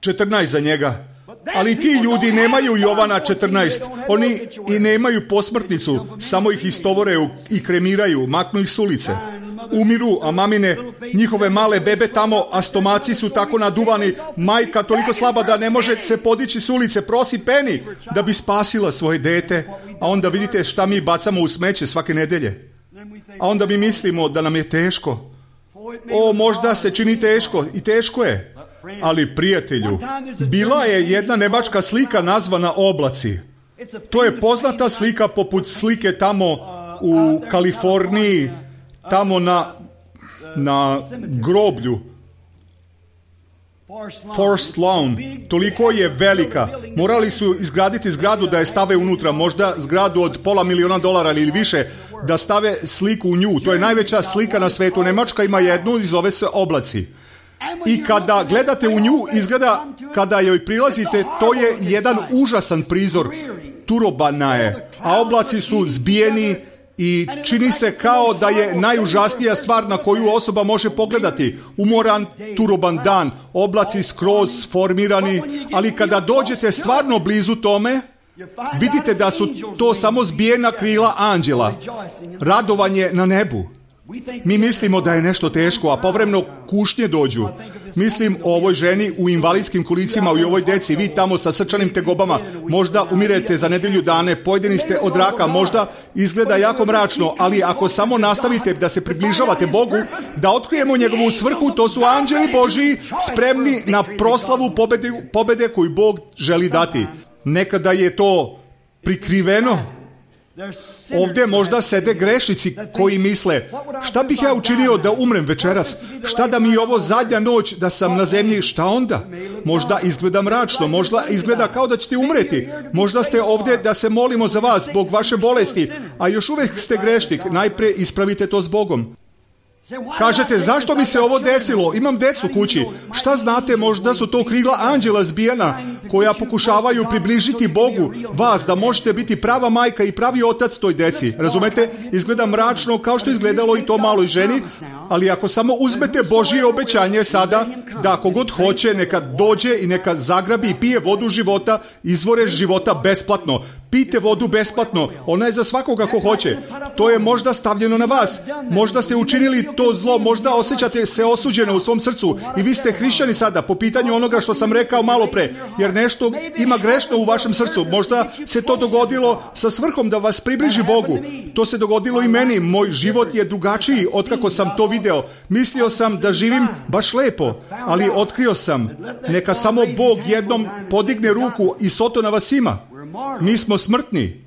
14 za njega. Ali ti ljudi nemaju Jovana 14, oni i nemaju posmrtnicu, samo ih istovore i kremiraju, maknu ih s ulice. Umiru, a mamine, njihove male bebe tamo, a stomaci su tako naduvani, majka toliko slaba da ne može se podići s ulice, prosi peni da bi spasila svoje dete, a onda vidite šta mi bacamo u smeće svake nedelje. A onda mi mislimo da nam je teško. Možda se čini teško i teško je. Ali prijatelju, bila je jedna nemačka slika nazvana oblaci. To je poznata slika poput slike tamo u Kaliforniji, tamo na groblju. Forest Lawn, toliko je velika. Morali su izgraditi zgradu da je stave unutra, možda zgradu od $500,000 ili više, da stave sliku u nju. To je najveća slika na svetu. Nemačka ima jednu i zove se oblaci. I kada gledate u nju, izgleda kada joj prilazite, to je jedan užasan prizor. Turobana je, a oblaci su zbijeni i čini se kao da je najužasnija stvar na koju osoba može pogledati. Umoran turoban dan, oblaci skroz formirani, ali kada dođete stvarno blizu tome, vidite da su to samo zbijena krila anđela. Radovanje na nebu. Mi mislimo da je nešto teško, a povremeno kušnje dođu. Mislim o ovoj ženi u invalidskim kolicima i ovoj deci, vi tamo sa srčanim tegobama. Možda umirete za nedelju dane, pojedini ste od raka, možda izgleda jako mračno, ali ako samo nastavite da se približavate Bogu, da otkrijemo njegovu svrhu, to su anđeli Božiji spremni na proslavu pobede koju Bog želi dati. Nekada je to prikriveno. Ovdje možda sede grešnici koji misle, šta bih ja učinio da umrem večeras? Šta da mi je ovo zadnja noć da sam na zemlji? Šta onda? Možda izgleda mračno, možda izgleda kao da ćete umreti. Možda ste ovdje da se molimo za vas zbog vaše bolesti, a još uvijek ste grešnik. Najprije ispravite to s Bogom. Kažete, zašto mi se ovo desilo? Imam decu kući. Šta znate, možda su to krila anđela zbijena koja pokušavaju približiti Bogu vas, da možete biti prava majka i pravi otac toj deci. Razumete? Izgleda mračno kao što izgledalo i to maloj ženi, ali ako samo uzmete Božje obećanje sada, da kogod hoće neka dođe i neka zagrabi i pije vodu života, izvore života besplatno. Pijte vodu besplatno, ona je za svakoga ko hoće. To je možda stavljeno na vas. Možda ste učinili to zlo, možda osjećate se osuđeno u svom srcu i vi ste hrišćani sada po pitanju onoga što sam rekao malo pre, jer nešto ima grešno u vašem srcu. Možda se to dogodilo sa svrhom da vas približi Bogu. To se dogodilo i meni. Moj život je drugačiji otkako sam to video. Mislio sam da živim baš lepo, ali otkrio sam. Neka samo Bog jednom podigne ruku i soto na vas ima. Mi smo smrtni.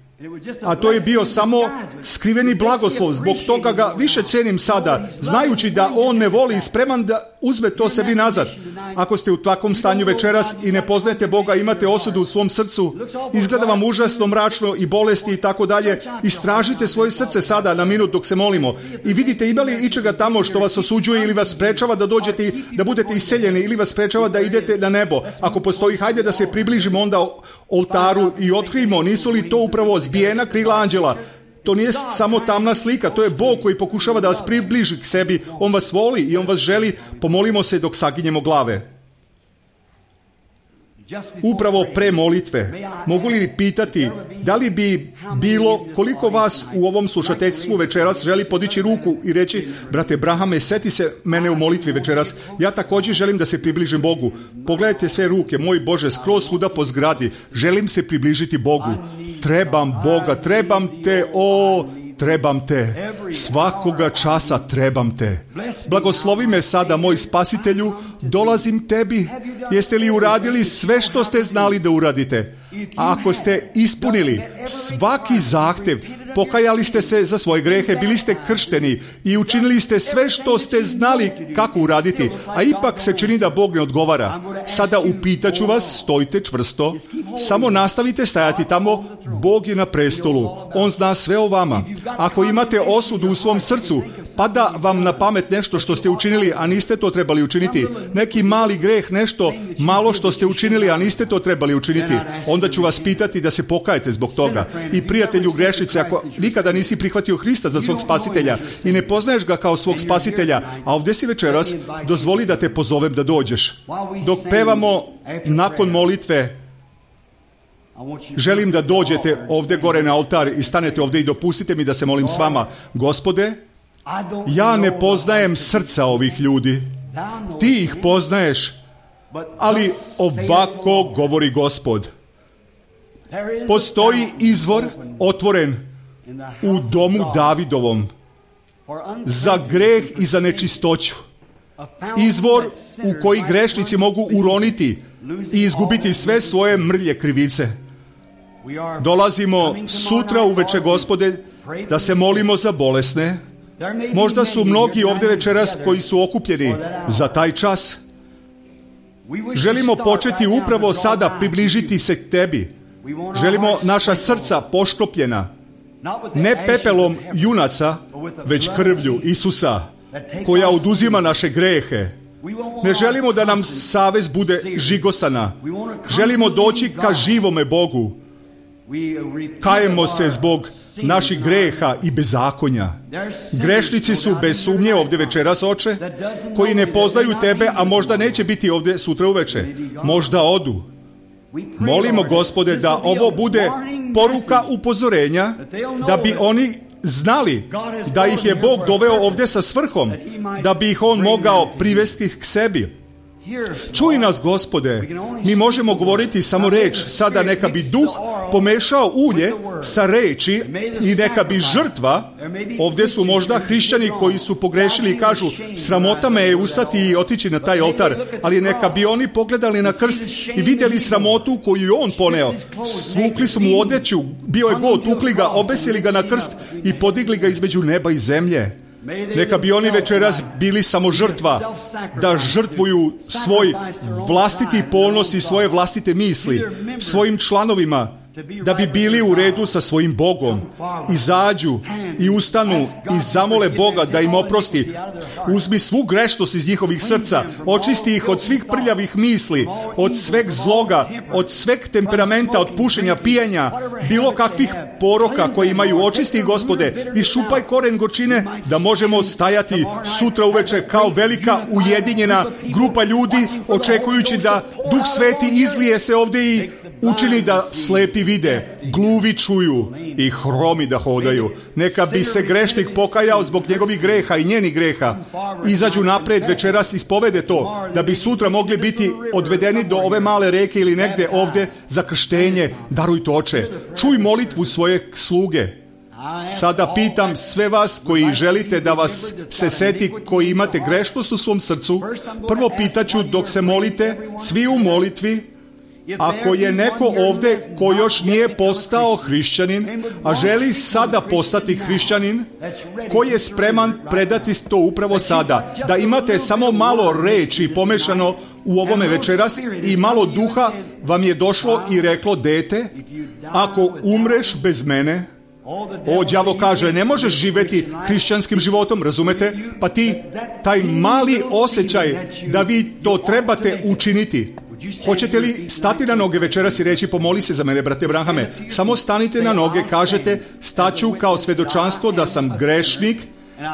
A to je bio samo skriveni blagoslov. Zbog toga ga više cenim sada, znajući da on me voli i spreman da uzme to sebi nazad. Ako ste u takvom stanju večeras i ne poznajete Boga, imate osudu u svom srcu, izgleda vam užasno mračno i bolesti i tako dalje, istražite svoje srce sada na minut dok se molimo i vidite ima li ičega tamo što vas osuđuje ili vas sprečava da dođete, da budete iseljeni ili vas sprečava da idete na nebo. Ako postoji, hajde da se približimo onda oltaru i otkrijemo, nisu li to upravo zbijena krila anđela. To nije samo tamna slika, to je Bog koji pokušava da vas približi k sebi. On vas voli i on vas želi. Pomolimo se dok saginjemo glave. Upravo pre molitve, mogu li pitati da li bi bilo koliko vas u ovom slušateljstvu večeras želi podići ruku i reći, brate Brahame, seti se mene u molitvi večeras, ja također želim da se približim Bogu. Pogledajte sve ruke, moj Bože, skroz svuda po zgradi, želim se približiti Bogu. Trebam Boga, trebam te, trebam te, svakoga časa trebam te. Blagoslovi me sada, moj Spasitelju, dolazim tebi. Jeste li uradili sve što ste znali da uradite? A ako ste ispunili svaki zahtev, pokajali ste se za svoje grehe, bili ste kršteni i učinili ste sve što ste znali kako uraditi, a ipak se čini da Bog ne odgovara. Sada upitaću vas, stojite čvrsto, samo nastavite stajati tamo, Bog je na prestolu, On zna sve o vama. Ako imate osudu u svom srcu, pada vam na pamet nešto što ste učinili, a niste to trebali učiniti, neki mali greh, nešto malo što ste učinili, a niste to trebali učiniti, onda ću vas pitati da se pokajete zbog toga. I prijatelju grešnice, ako nikada nisi prihvatio Hrista za svog spasitelja i ne poznaješ ga kao svog spasitelja, a ovdje si večeras, dozvoli da te pozovem da dođeš. Dok pevamo nakon molitve, želim da dođete ovdje gore na oltar i stanete ovdje i dopustite mi da se molim s vama. Gospode, ja ne poznajem srca ovih ljudi, ti ih poznaješ, ali ovako govori Gospod. Postoji izvor otvoren u domu Davidovom za greh i za nečistoću. Izvor u koji grešnici mogu uroniti i izgubiti sve svoje mrlje krivice. Dolazimo sutra uveče, Gospode, da se molimo za bolesne. Možda su mnogi ovdje večeras koji su okupljeni za taj čas. Želimo početi upravo sada približiti se k Tebi. Želimo naša srca pošklopljena, ne pepelom junaca, već krvlju Isusa, koja oduzima naše grehe. Ne želimo da nam savest bude žigosana. Želimo doći ka živome Bogu. Kajemo se zbog naših greha i bezakonja. Grešnici su bez sumnje ovdje večeras, Oče, koji ne poznaju Tebe, a možda neće biti ovdje sutra uveče. Možda odu. Molimo, Gospode, da ovo bude poruka upozorenja, da bi oni znali da ih je Bog doveo ovdje sa svrhom, da bi ih On mogao privesti k sebi. Čuj nas, Gospode, mi možemo govoriti samo reč. Sada neka bi duh pomešao ulje sa reči i neka bi žrtva, ovdje su možda hrišćani koji su pogrešili i kažu, sramota me je ustati i otići na taj oltar, ali neka bi oni pogledali na krst i vidjeli sramotu koju je On poneo. Svukli su mu odjeću, bio je god, tukli ga, obesili ga na krst i podigli ga između neba i zemlje. Neka bi oni večeras bili samo žrtva, da žrtvuju svoj vlastiti ponos i svoje vlastite misli svojim članovima, da bi bili u redu sa svojim Bogom. Izađu i ustanu i zamole Boga da im oprosti. Uzmi svu grešnost iz njihovih srca, očisti ih od svih prljavih misli, od sveg zloga, od sveg temperamenta, od pušenja, pijenja, bilo kakvih poroka koje imaju. Očisti ih, Gospode, i šupaj koren gorčine, da možemo stajati sutra uveče kao velika ujedinjena grupa ljudi, očekujući da Duh Sveti izlije se ovdje i učini da slepi vide, gluvi čuju i hromi da hodaju. Neka bi se grešnik pokajao zbog njegovih greha i njenih greha. Izađu napred večeras, ispovede to, da bi sutra mogli biti odvedeni do ove male reke ili negde ovdje za krštenje. Daruj to, Oče. Čuj molitvu svoje sluge. Sada pitam sve vas koji želite da vas se seti, koji imate grešnost u svom srcu. Prvo pitaću dok se molite, svi u molitvi, ako je neko ovdje ko još nije postao hrišćanin, a želi sada postati hrišćanin, koji je spreman predati to upravo sada, da imate samo malo reči pomešano u ovome večeras i malo duha vam je došlo i reklo, dete, ako umreš bez mene, đavo kaže, ne možeš živjeti hrišćanskim životom, razumete? Pa ti, taj mali osjećaj da vi to trebate učiniti. Hoćete li stati na noge večeras i reći, pomoli se za mene, brate Branhame? Samo stanite na noge, kažete, staću kao svedočanstvo da sam grešnik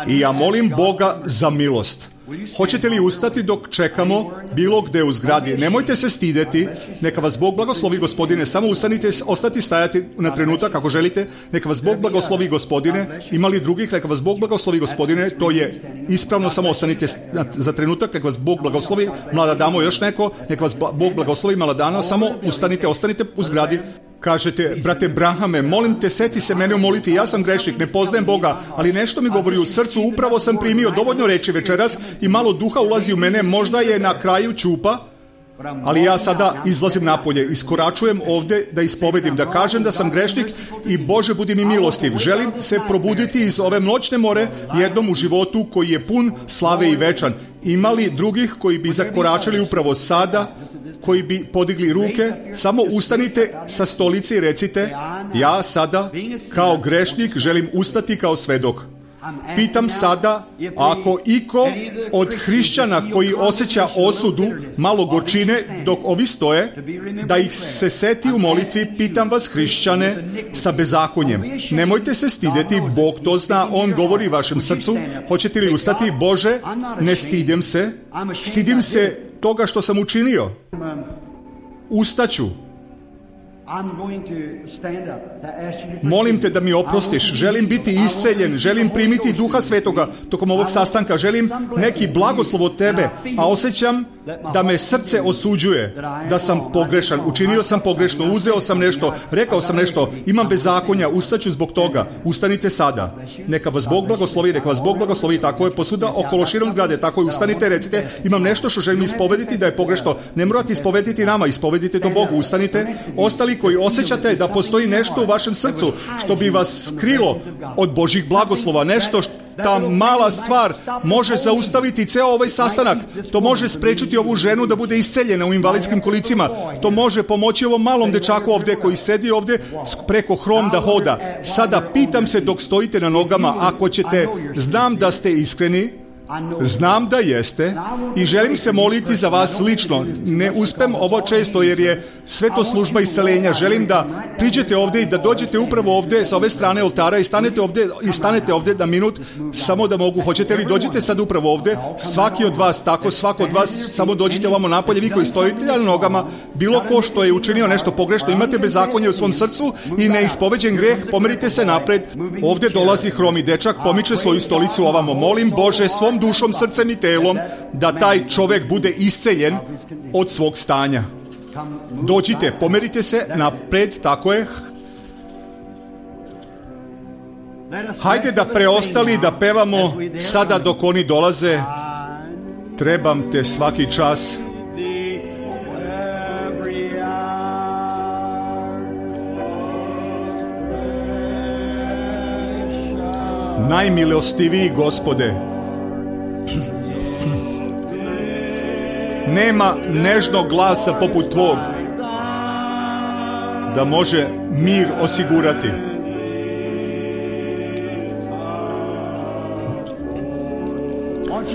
i ja molim Boga za milost. Hoćete li ustati dok čekamo bilo gde u zgradi? Nemojte se stideti, neka vas Bog blagoslovi, Gospodine, samo ustanite, ostati stajati na trenutak ako želite, neka vas Bog blagoslovi, Gospodine. Ima li drugih? Neka vas Bog blagoslovi, Gospodine, to je ispravno, samo ostanite za trenutak, neka vas Bog blagoslovi. Mlada damo, još neko, neka vas Bog blagoslovi, mlada dana, samo ostanite u zgradi. Kažete, brate Branhame, molim te, seti se mene u molitvi, ja sam grešnik, ne poznajem Boga, ali nešto mi govori u srcu, upravo sam primio dovoljno reči večeras i malo duha ulazi u mene, možda je na kraju ćupa, ali ja sada izlazim napolje, iskoračujem ovdje da ispovedim, da kažem da sam grešnik i Bože budi mi milostiv. Želim se probuditi iz ove noćne more jednom u životu koji je pun slave i večan. Ima li drugih koji bi zakoračili upravo sada, koji bi podigli ruke? Samo ustanite sa stolice i recite, ja sada kao grešnik želim ustati kao svedok. Pitam sada, ako iko od hrišćana koji osjeća osudu, malo gorčine dok ovi stoje, da ih se seti u molitvi, pitam vas hrišćane sa bezakonjem. Nemojte se stideti, Bog to zna, On govori vašem srcu. Hoćete li ustati? Bože, ne stidim se toga što sam učinio. Ustaću. Molim te da mi oprostiš, želim biti isceljen, želim primiti Duha Svetoga tokom ovog sastanka, želim neki blagoslov od tebe, a osjećam da me srce osuđuje, da sam pogrešan, učinio sam pogrešno, uzeo sam nešto, rekao sam nešto, imam bezakonja, ustaću zbog toga. Ustanite sada. Neka vas Bog blagoslovi, neka vas Bog blagoslovi. Tako je posvuda okolo širom zgrade. Tako je, ustanite, recite, imam nešto što želim ispovediti da je pogrešno. Ne morate ispovediti nama, ispovedite to Bogu. Ustanite. Ostali koji osjećate da postoji nešto u vašem srcu što bi vas skrilo od Božjih blagoslova, nešto ta mala stvar može zaustaviti ceo ovaj sastanak. To može sprečiti ovu ženu da bude isceljena u invalidskim kolicima. To može pomoći ovom malom dečaku ovde koji sedi ovde preko hrom da hoda. Sada pitam se dok stojite na nogama, ako ćete, znam da ste iskreni, znam da jeste i želim se moliti za vas lično. Ne uspem ovo često jer je sve to služba isceljenja. Želim da priđete ovde i da dođete upravo ovde sa ove strane oltara i stanete ovde da minut, samo da mogu. Hoćete li dođete sad upravo ovde? Svaki od vas, tako, svako od vas, samo dođite ovamo napolje, vi koji stojite na nogama, bilo ko što je učinio nešto pogrešno, imate bezakonje u svom srcu i neispoveđen greh, pomerite se napred. Ovde dolazi hromi dečak, pomiče svoju stolicu ovamo. Molim Bože svom dušom, srcem i telom da taj čovek bude isceljen od svog stanja. Dođite, pomerite se napred, tako je. Hajde da preostali da pevamo sada dok oni dolaze. Trebam te svaki čas. Najmilostiviji Gospode, nema nežnog glasa poput tvog da može mir osigurati.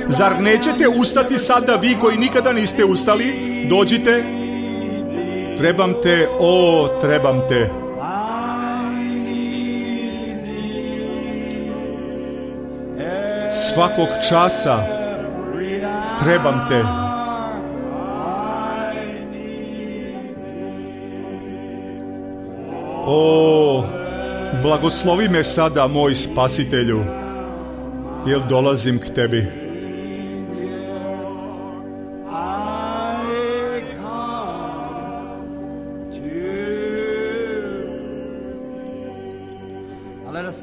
Zar nećete ustati sada vi koji nikada niste ustali? Dođite. Trebam te, o, trebam te. Svakog časa trebam te. O, blagoslovi me sada, moj Spasitelju, jer dolazim k tebi.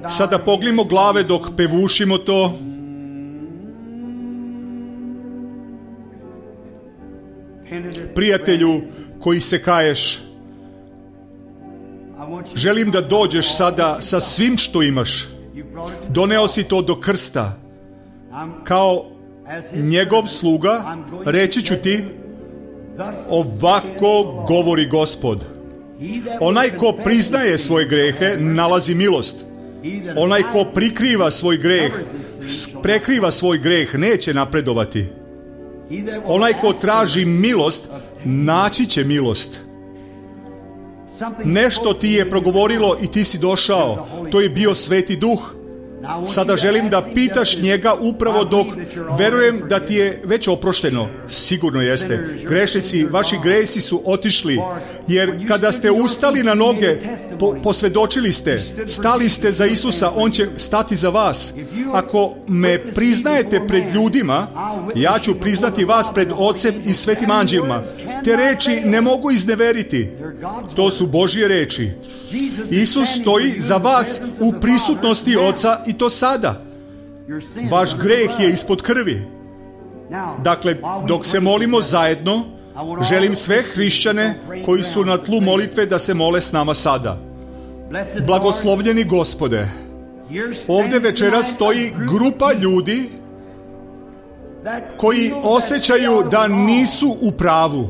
Sada pognimo glave dok pevušimo to. Prijatelju koji se kaješ, želim da dođeš sada sa svim što imaš. Doneo si to do krsta. Kao njegov sluga reći ću ti, ovako govori Gospod. Onaj ko priznaje svoje grehe nalazi milost. Onaj ko prikriva svoj greh, prekriva svoj greh, neće napredovati. Onaj ko traži milost, naći će milost. Nešto ti je progovorilo i ti si došao. To je bio Sveti Duh. Sada želim da pitaš njega upravo dok verujem da ti je već oprošteno. Sigurno jeste. Grešnici, vaši gresi su otišli. Jer kada ste ustali na noge, posvedočili ste, stali ste za Isusa, On će stati za vas. Ako me priznajete pred ljudima, ja ću priznati vas pred Ocem i svetim anđelima. Te reči ne mogu izneveriti. To su Božje reči. Isus stoji za vas u prisutnosti Oca i to sada. Vaš greh je ispod krvi. Dakle, dok se molimo zajedno, želim sve hrišćane koji su na tlu molitve da se mole s nama sada. Blagoslovljeni Gospode, ovdje večeras stoji grupa ljudi koji osjećaju da nisu u pravu.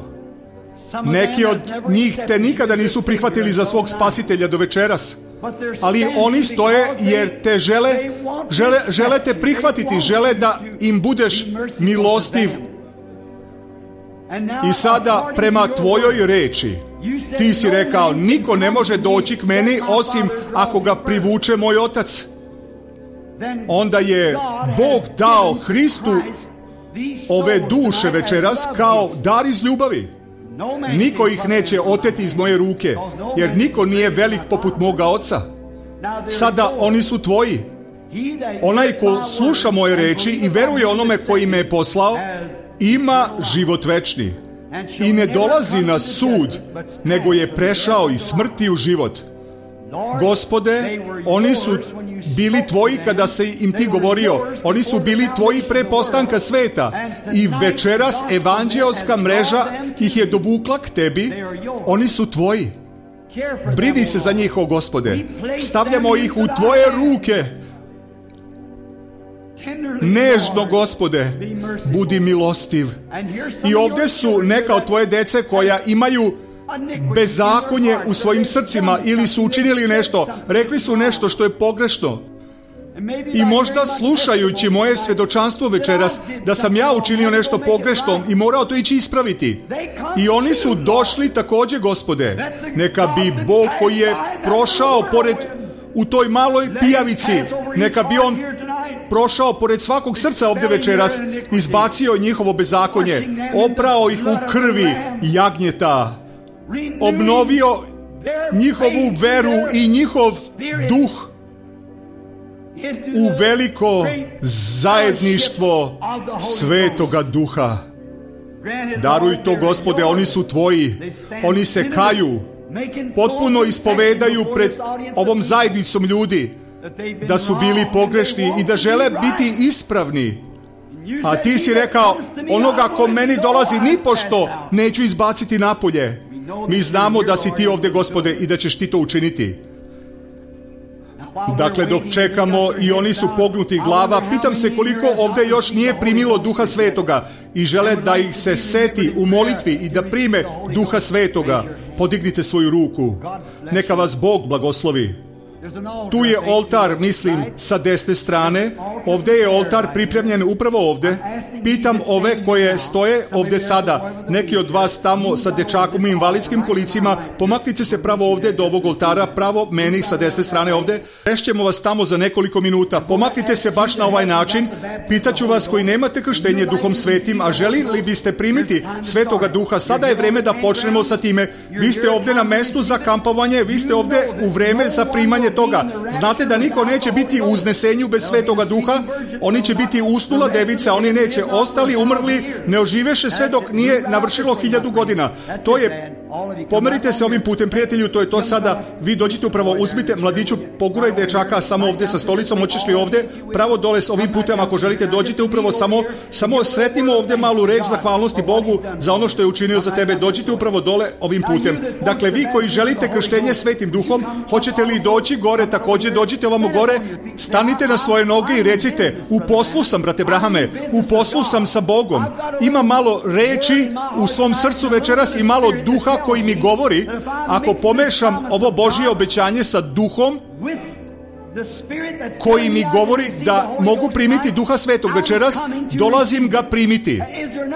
Neki od njih te nikada nisu prihvatili za svog Spasitelja do večeras. Ali oni stoje jer te žele te prihvatiti, žele da im budeš milostiv. I sada prema tvojoj reči, ti si rekao, niko ne može doći k meni osim ako ga privuče moj Otac. Onda je Bog dao Hristu ove duše večeras kao dar iz ljubavi. Niko ih neće oteti iz moje ruke, jer niko nije velik poput moga Oca. Sada oni su tvoji. Onaj ko sluša moje reči i veruje onome koji me je poslao, ima život večni i ne dolazi na sud, nego je prešao iz smrti u život. Gospode, oni su bili tvoji kada se im ti govorio, oni su bili tvoji pre postanka sveta i večeras evanđeoska mreža ih je dovukla k tebi, oni su tvoji. Brini se za njih, o Gospode. Stavljamo ih u tvoje ruke. Nežno, Gospode, budi milostiv. I ovdje su neka od tvoje dece koja imaju bezakonje u svojim srcima ili su učinili nešto, rekli su nešto što je pogrešno. I možda slušajući moje svjedočanstvo večeras da sam ja učinio nešto pogrešno i morao to ići ispraviti. I oni su došli također, Gospode. Neka bi Bog koji je prošao pored u toj maloj pijavici, neka bi on prošao pored svakog srca ovdje večeras, izbacio njihovo bezakonje, oprao ih u krvi jagnjeta, obnovio njihovu veru i njihov duh u veliko zajedništvo Svetoga Duha. Daruj to, Gospode, oni su tvoji, oni se kaju, potpuno ispovedaju pred ovom zajednicom ljudi da su bili pogrešni i da žele biti ispravni. A ti si rekao, onoga ko meni dolazi nipošto neću izbaciti napolje. Mi znamo da si ti ovdje, Gospode, i da ćeš ti to učiniti. Dakle, dok čekamo i oni su pognuti glava, pitam se koliko ovdje još nije primilo Duha Svetoga i žele da ih se seti u molitvi i da prime Duha Svetoga. Podignite svoju ruku. Neka vas Bog blagoslovi. Tu je oltar, mislim, sa desne strane. Ovdje je oltar pripremljen upravo ovdje. Pitam ove koje stoje ovdje sada. Neki od vas tamo sa dečakom i invalidskim kolicima, pomaknite se pravo ovdje do ovog oltara, pravo meni sa desne strane ovdje. Rešćemo vas tamo za nekoliko minuta. Pomaknite se baš na ovaj način. Pitaću vas koji nemate krštenje Duhom Svetim, a želili biste primiti Svetoga Duha, sada je vreme da počnemo sa time. Vi ste ovdje na mestu za kampovanje, vi ste ovdje u vreme za primanje toga. Znate da niko neće biti u uznesenju bez Svetoga Duha, oni će biti usnula devica, oni neće, ostali umrli ne oživeše sve dok nije navršilo 1000 godina. To je, pomerite se ovim putem, prijatelju, to je to sada. Vi dođite upravo, uzmite mladiću, poguraj dečaka samo ovdje sa stolicom, hoćeš li ovdje, pravo dole s ovim putem, ako želite dođite upravo samo sretnimo ovdje malu reč zahvalnosti Bogu za ono što je učinio za tebe, dođite upravo dole ovim putem. Dakle, vi koji želite krštenje Svetim Duhom, hoćete li doći gore, također dođite ovamo gore, stanite na svoje noge i recite, u poslu sam, brate Brahame, u poslu sam sa Bogom, ima malo reči u svom srcu večeras i malo duha koji mi govori, ako pomešam ovo Božje obećanje sa duhom koji mi govori da mogu primiti Duha Svetog večeras, dolazim ga primiti.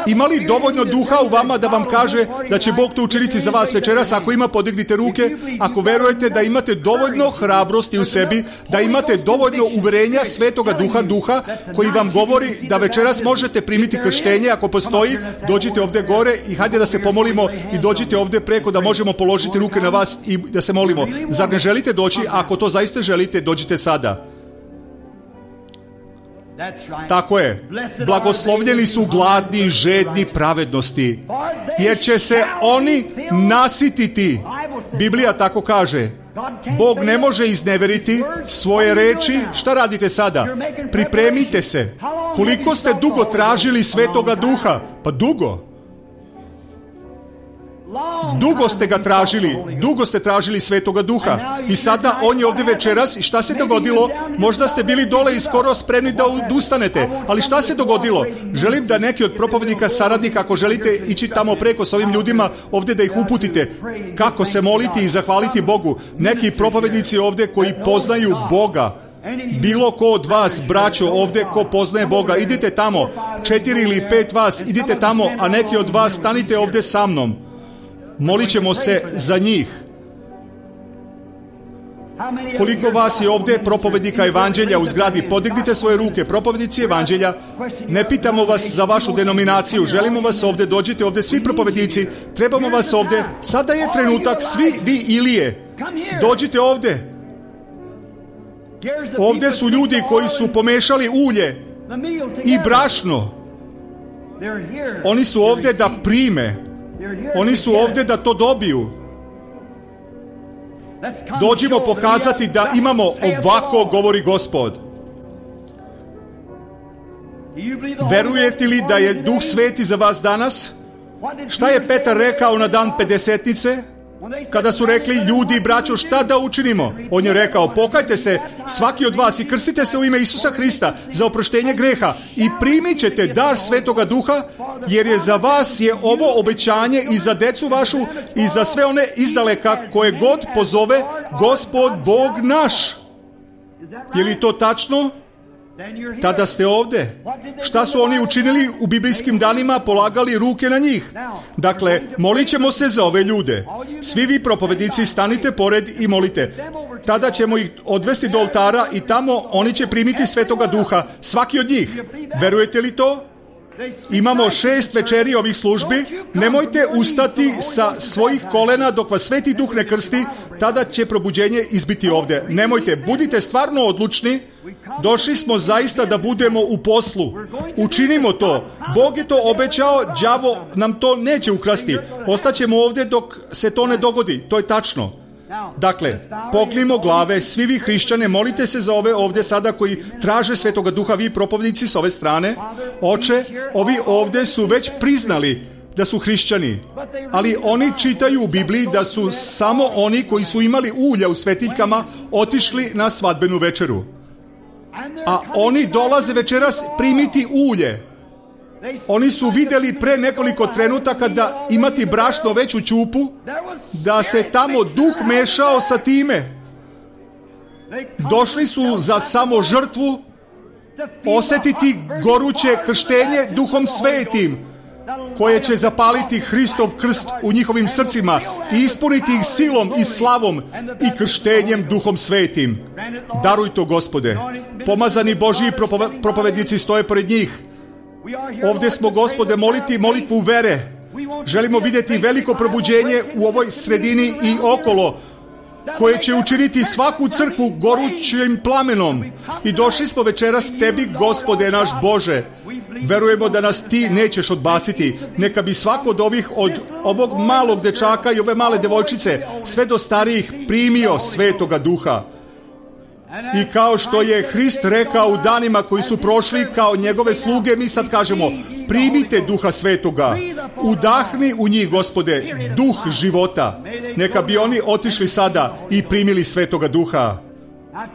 Ima li dovoljno duha u vama da vam kaže da će Bog to učiniti za vas večeras? Ako ima, podignite ruke. Ako verujete da imate dovoljno hrabrosti u sebi, da imate dovoljno uverenja Svetoga Duha koji vam govori da večeras možete primiti krštenje, ako postoji, dođite ovdje gore i hajde da se pomolimo i dođite ovdje preko da možemo položiti ruke na vas i da se molimo. Zar ne želite doći? Ako to zaista želite, dođite sada. Tako je. Blagoslovljeni su gladni i žedni pravednosti, jer će se oni nasititi. Biblija tako kaže. Bog ne može izneveriti svoje reči. Šta radite sada? Pripremite se. Koliko ste dugo tražili Svetoga Duha? Pa dugo. Dugo ste ga tražili, dugo ste tražili Svetoga Duha i sada on je ovdje večeras i šta se dogodilo? Možda ste bili dole i skoro spremni da odustanete, ali šta se dogodilo? Želim da neki od propovjednika, saradnika, ako želite ići tamo preko s ovim ljudima ovdje da ih uputite kako se moliti i zahvaliti Bogu. Neki propovjednici ovdje koji poznaju Boga, bilo ko od vas, braćo, ovdje ko poznaje Boga, idite tamo, 4 ili 5 vas, idite tamo, a neki od vas stanite ovdje sa mnom. Molit ćemo se za njih. Koliko vas je ovdje propovednika evanđelja u zgradi? Podignite svoje ruke, propovednici evanđelja. Ne pitamo vas za vašu denominaciju, želimo vas ovdje, dođite ovdje, svi propovednici, trebamo vas ovdje. Sada je trenutak, svi vi Ilije, dođite ovdje. Ovdje su ljudi koji su pomešali ulje i brašno. Oni su ovdje da prime. Oni su ovdje da to dobiju. Dođimo pokazati da imamo ovako, govori Gospod. Verujete li da je Duh Sveti za vas danas? Šta je Petar rekao na dan Pedesetnice? Kada su rekli ljudi i braćo, šta da učinimo? On je rekao, pokajte se svaki od vas i krstite se u ime Isusa Hrista za oproštenje greha i primit ćete dar Svetoga Duha, jer je za vas je ovo obećanje i za decu vašu i za sve one izdaleka koje god pozove Gospod Bog naš. Je li to tačno? Tada ste ovdje. Šta su oni učinili u biblijskim danima? Polagali ruke na njih. Dakle, molit ćemo se za ove ljude. Svi vi propovedici stanite pored i molite. Tada ćemo ih odvesti do oltara i tamo oni će primiti Svetoga Duha. Svaki od njih. Verujete li to? Imamo 6 večeri ovih službi. Nemojte ustati sa svojih kolena dok vas Sveti Duh ne krsti. Tada će probuđenje izbiti ovdje. Nemojte, budite stvarno odlučni. Došli smo zaista da budemo u poslu. Učinimo to. Bog je to obećao, đavo nam to neće ukrasti. Ostaćemo ovdje dok se to ne dogodi. To je tačno. Dakle, poklimo glave, svi vi hrišćane, molite se za ove ovdje sada koji traže Svetoga Duha, vi propovjednici s ove strane. Oče, ovi ovdje su već priznali da su hrišćani, ali oni čitaju u Bibliji da su samo oni koji su imali ulja u svetiljkama otišli na svadbenu večeru. A oni dolaze večeras primiti ulje. Oni su vidjeli pre nekoliko trenutaka da imati brašno već u ćupu, da se tamo duh mešao sa time. Došli su za samo žrtvu, osjetiti goruće krštenje Duhom Svetim, koje će zapaliti Hristov krst u njihovim srcima i ispuniti ih silom i slavom i krštenjem Duhom Svetim. Daruj to, Gospode. Pomazani Božji propovednici stoje pored njih. Ovdje smo, Gospode, moliti molitvu vere. Želimo vidjeti veliko probuđenje u ovoj sredini i okolo, koje će učiniti svaku crkvu gorućim plamenom. I došli smo večeras k Tebi, Gospode naš Bože. Verujemo da nas Ti nećeš odbaciti. Neka bi svako od ovog malog dečaka i ove male devojčice, sve do starijih, primio Svetoga Duha. I kao što je Hrist rekao u danima koji su prošli kao njegove sluge, mi sad kažemo, primite Duha Svetoga, udahni u njih, Gospode, duh života. Neka bi oni otišli sada i primili Svetoga Duha.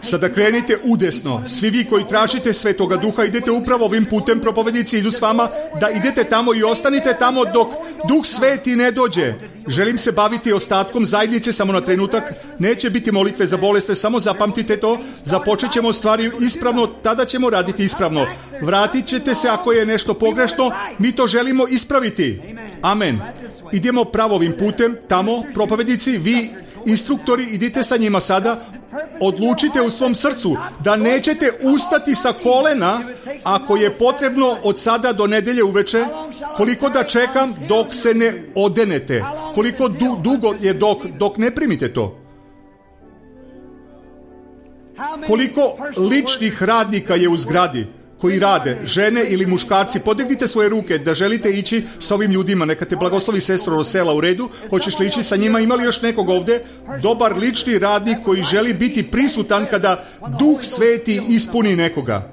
Sada krenite udesno. Svi vi koji tražite Svetoga Duha, idete upravo ovim putem, propovjednici idu s vama, da idete tamo i ostanite tamo dok Duh Sveti ne dođe. Želim se baviti ostatkom zajednice samo na trenutak. Neće biti molitve za bolesne, samo zapamtite to. Započet ćemo stvari ispravno, tada ćemo raditi ispravno. Vratit ćete se ako je nešto pogrešno, mi to želimo ispraviti. Amen. Idemo pravo ovim putem, tamo, propovjednici, vi instruktori, idite sa njima sada. Odlučite u svom srcu da nećete ustati sa kolena ako je potrebno od sada do nedelje uveče. Koliko da čekam dok se ne odenete? Koliko dugo je dok ne primite to? Koliko ličnih radnika je u zgradi koji rade, žene ili muškarci? Podignite svoje ruke da želite ići sa ovim ljudima. Neka te blagoslovi sestro Rosela, u redu. Hoćeš li ići sa njima? Ima li još nekog ovdje? Dobar lični radnik koji želi biti prisutan kada Duh Sveti ispuni nekoga.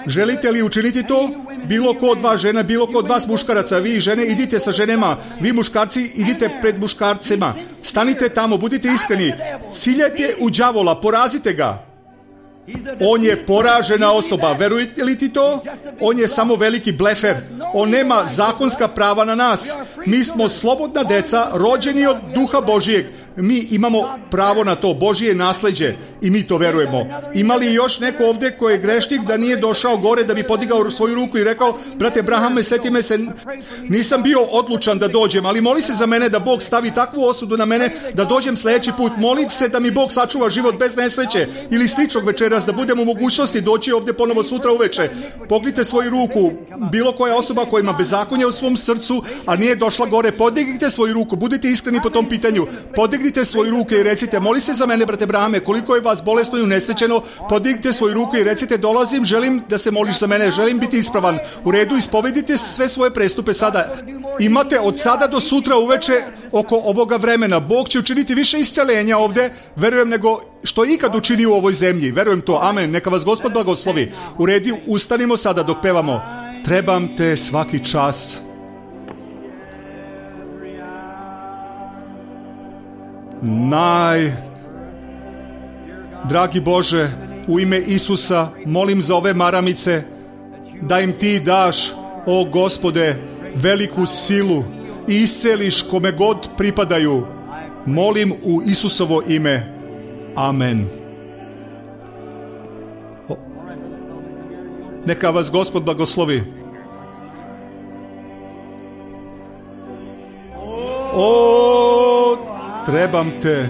Želite li učiniti to? Bilo ko od vas žena, bilo ko od vas muškaraca, vi žene idite sa ženama, vi muškarci idite pred muškarcima. Stanite tamo, budite iskreni. Ciljajte u đavola, porazite ga. On je poražena osoba, verujete li ti to? On je samo veliki blefer. On nema zakonska prava na nas. Mi smo slobodna deca, rođeni od Duha Božijeg. Mi imamo pravo na to, Božije nasljeđe, i mi to verujemo. Ima li još neko ovdje koji je grešnik da nije došao gore da bi podigao svoju ruku i rekao, brate Brahame, seti me se, nisam bio odlučan da dođem, ali moli se za mene da Bog stavi takvu osudu na mene da dođem sljedeći put. Moli se da mi Bog sačuva život bez nesreće ili sličnog večeras, da budem u mogućnosti doći ovdje ponovo sutra uveče. Pognite svoju ruku, bilo koja osoba koja ima bezakonje u svom srcu, a nije došla došla gore. Podignite svoju ruku, budite iskreni po tom pitanju. Podignite svoju ruku i recite, moli se za mene, brate Brahame, koliko je vas bolesno i unesrećeno. Podignite svoju ruku i recite, dolazim, želim da se moliš za mene, želim biti ispravan. U redu, ispovedite sve svoje prestupe sada. Imate od sada do sutra uveče oko ovoga vremena. Bog će učiniti više isceljenja ovde, verujem, nego što je ikad učinio u ovoj zemlji. Verujem to, amen. Neka vas Gospod blagoslovi. U redu, ustanimo sada dok pevamo. Trebam te svaki čas. Dragi Bože, u ime Isusa molim za ove maramice da im ti daš, o Gospode, veliku silu i isceliš kome god pripadaju. Molim u Isusovo ime. Amen. Neka vas Gospod blagoslovi. O, trebam te.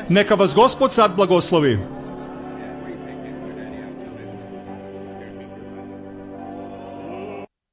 Neka vas Gospod sad blagoslovi.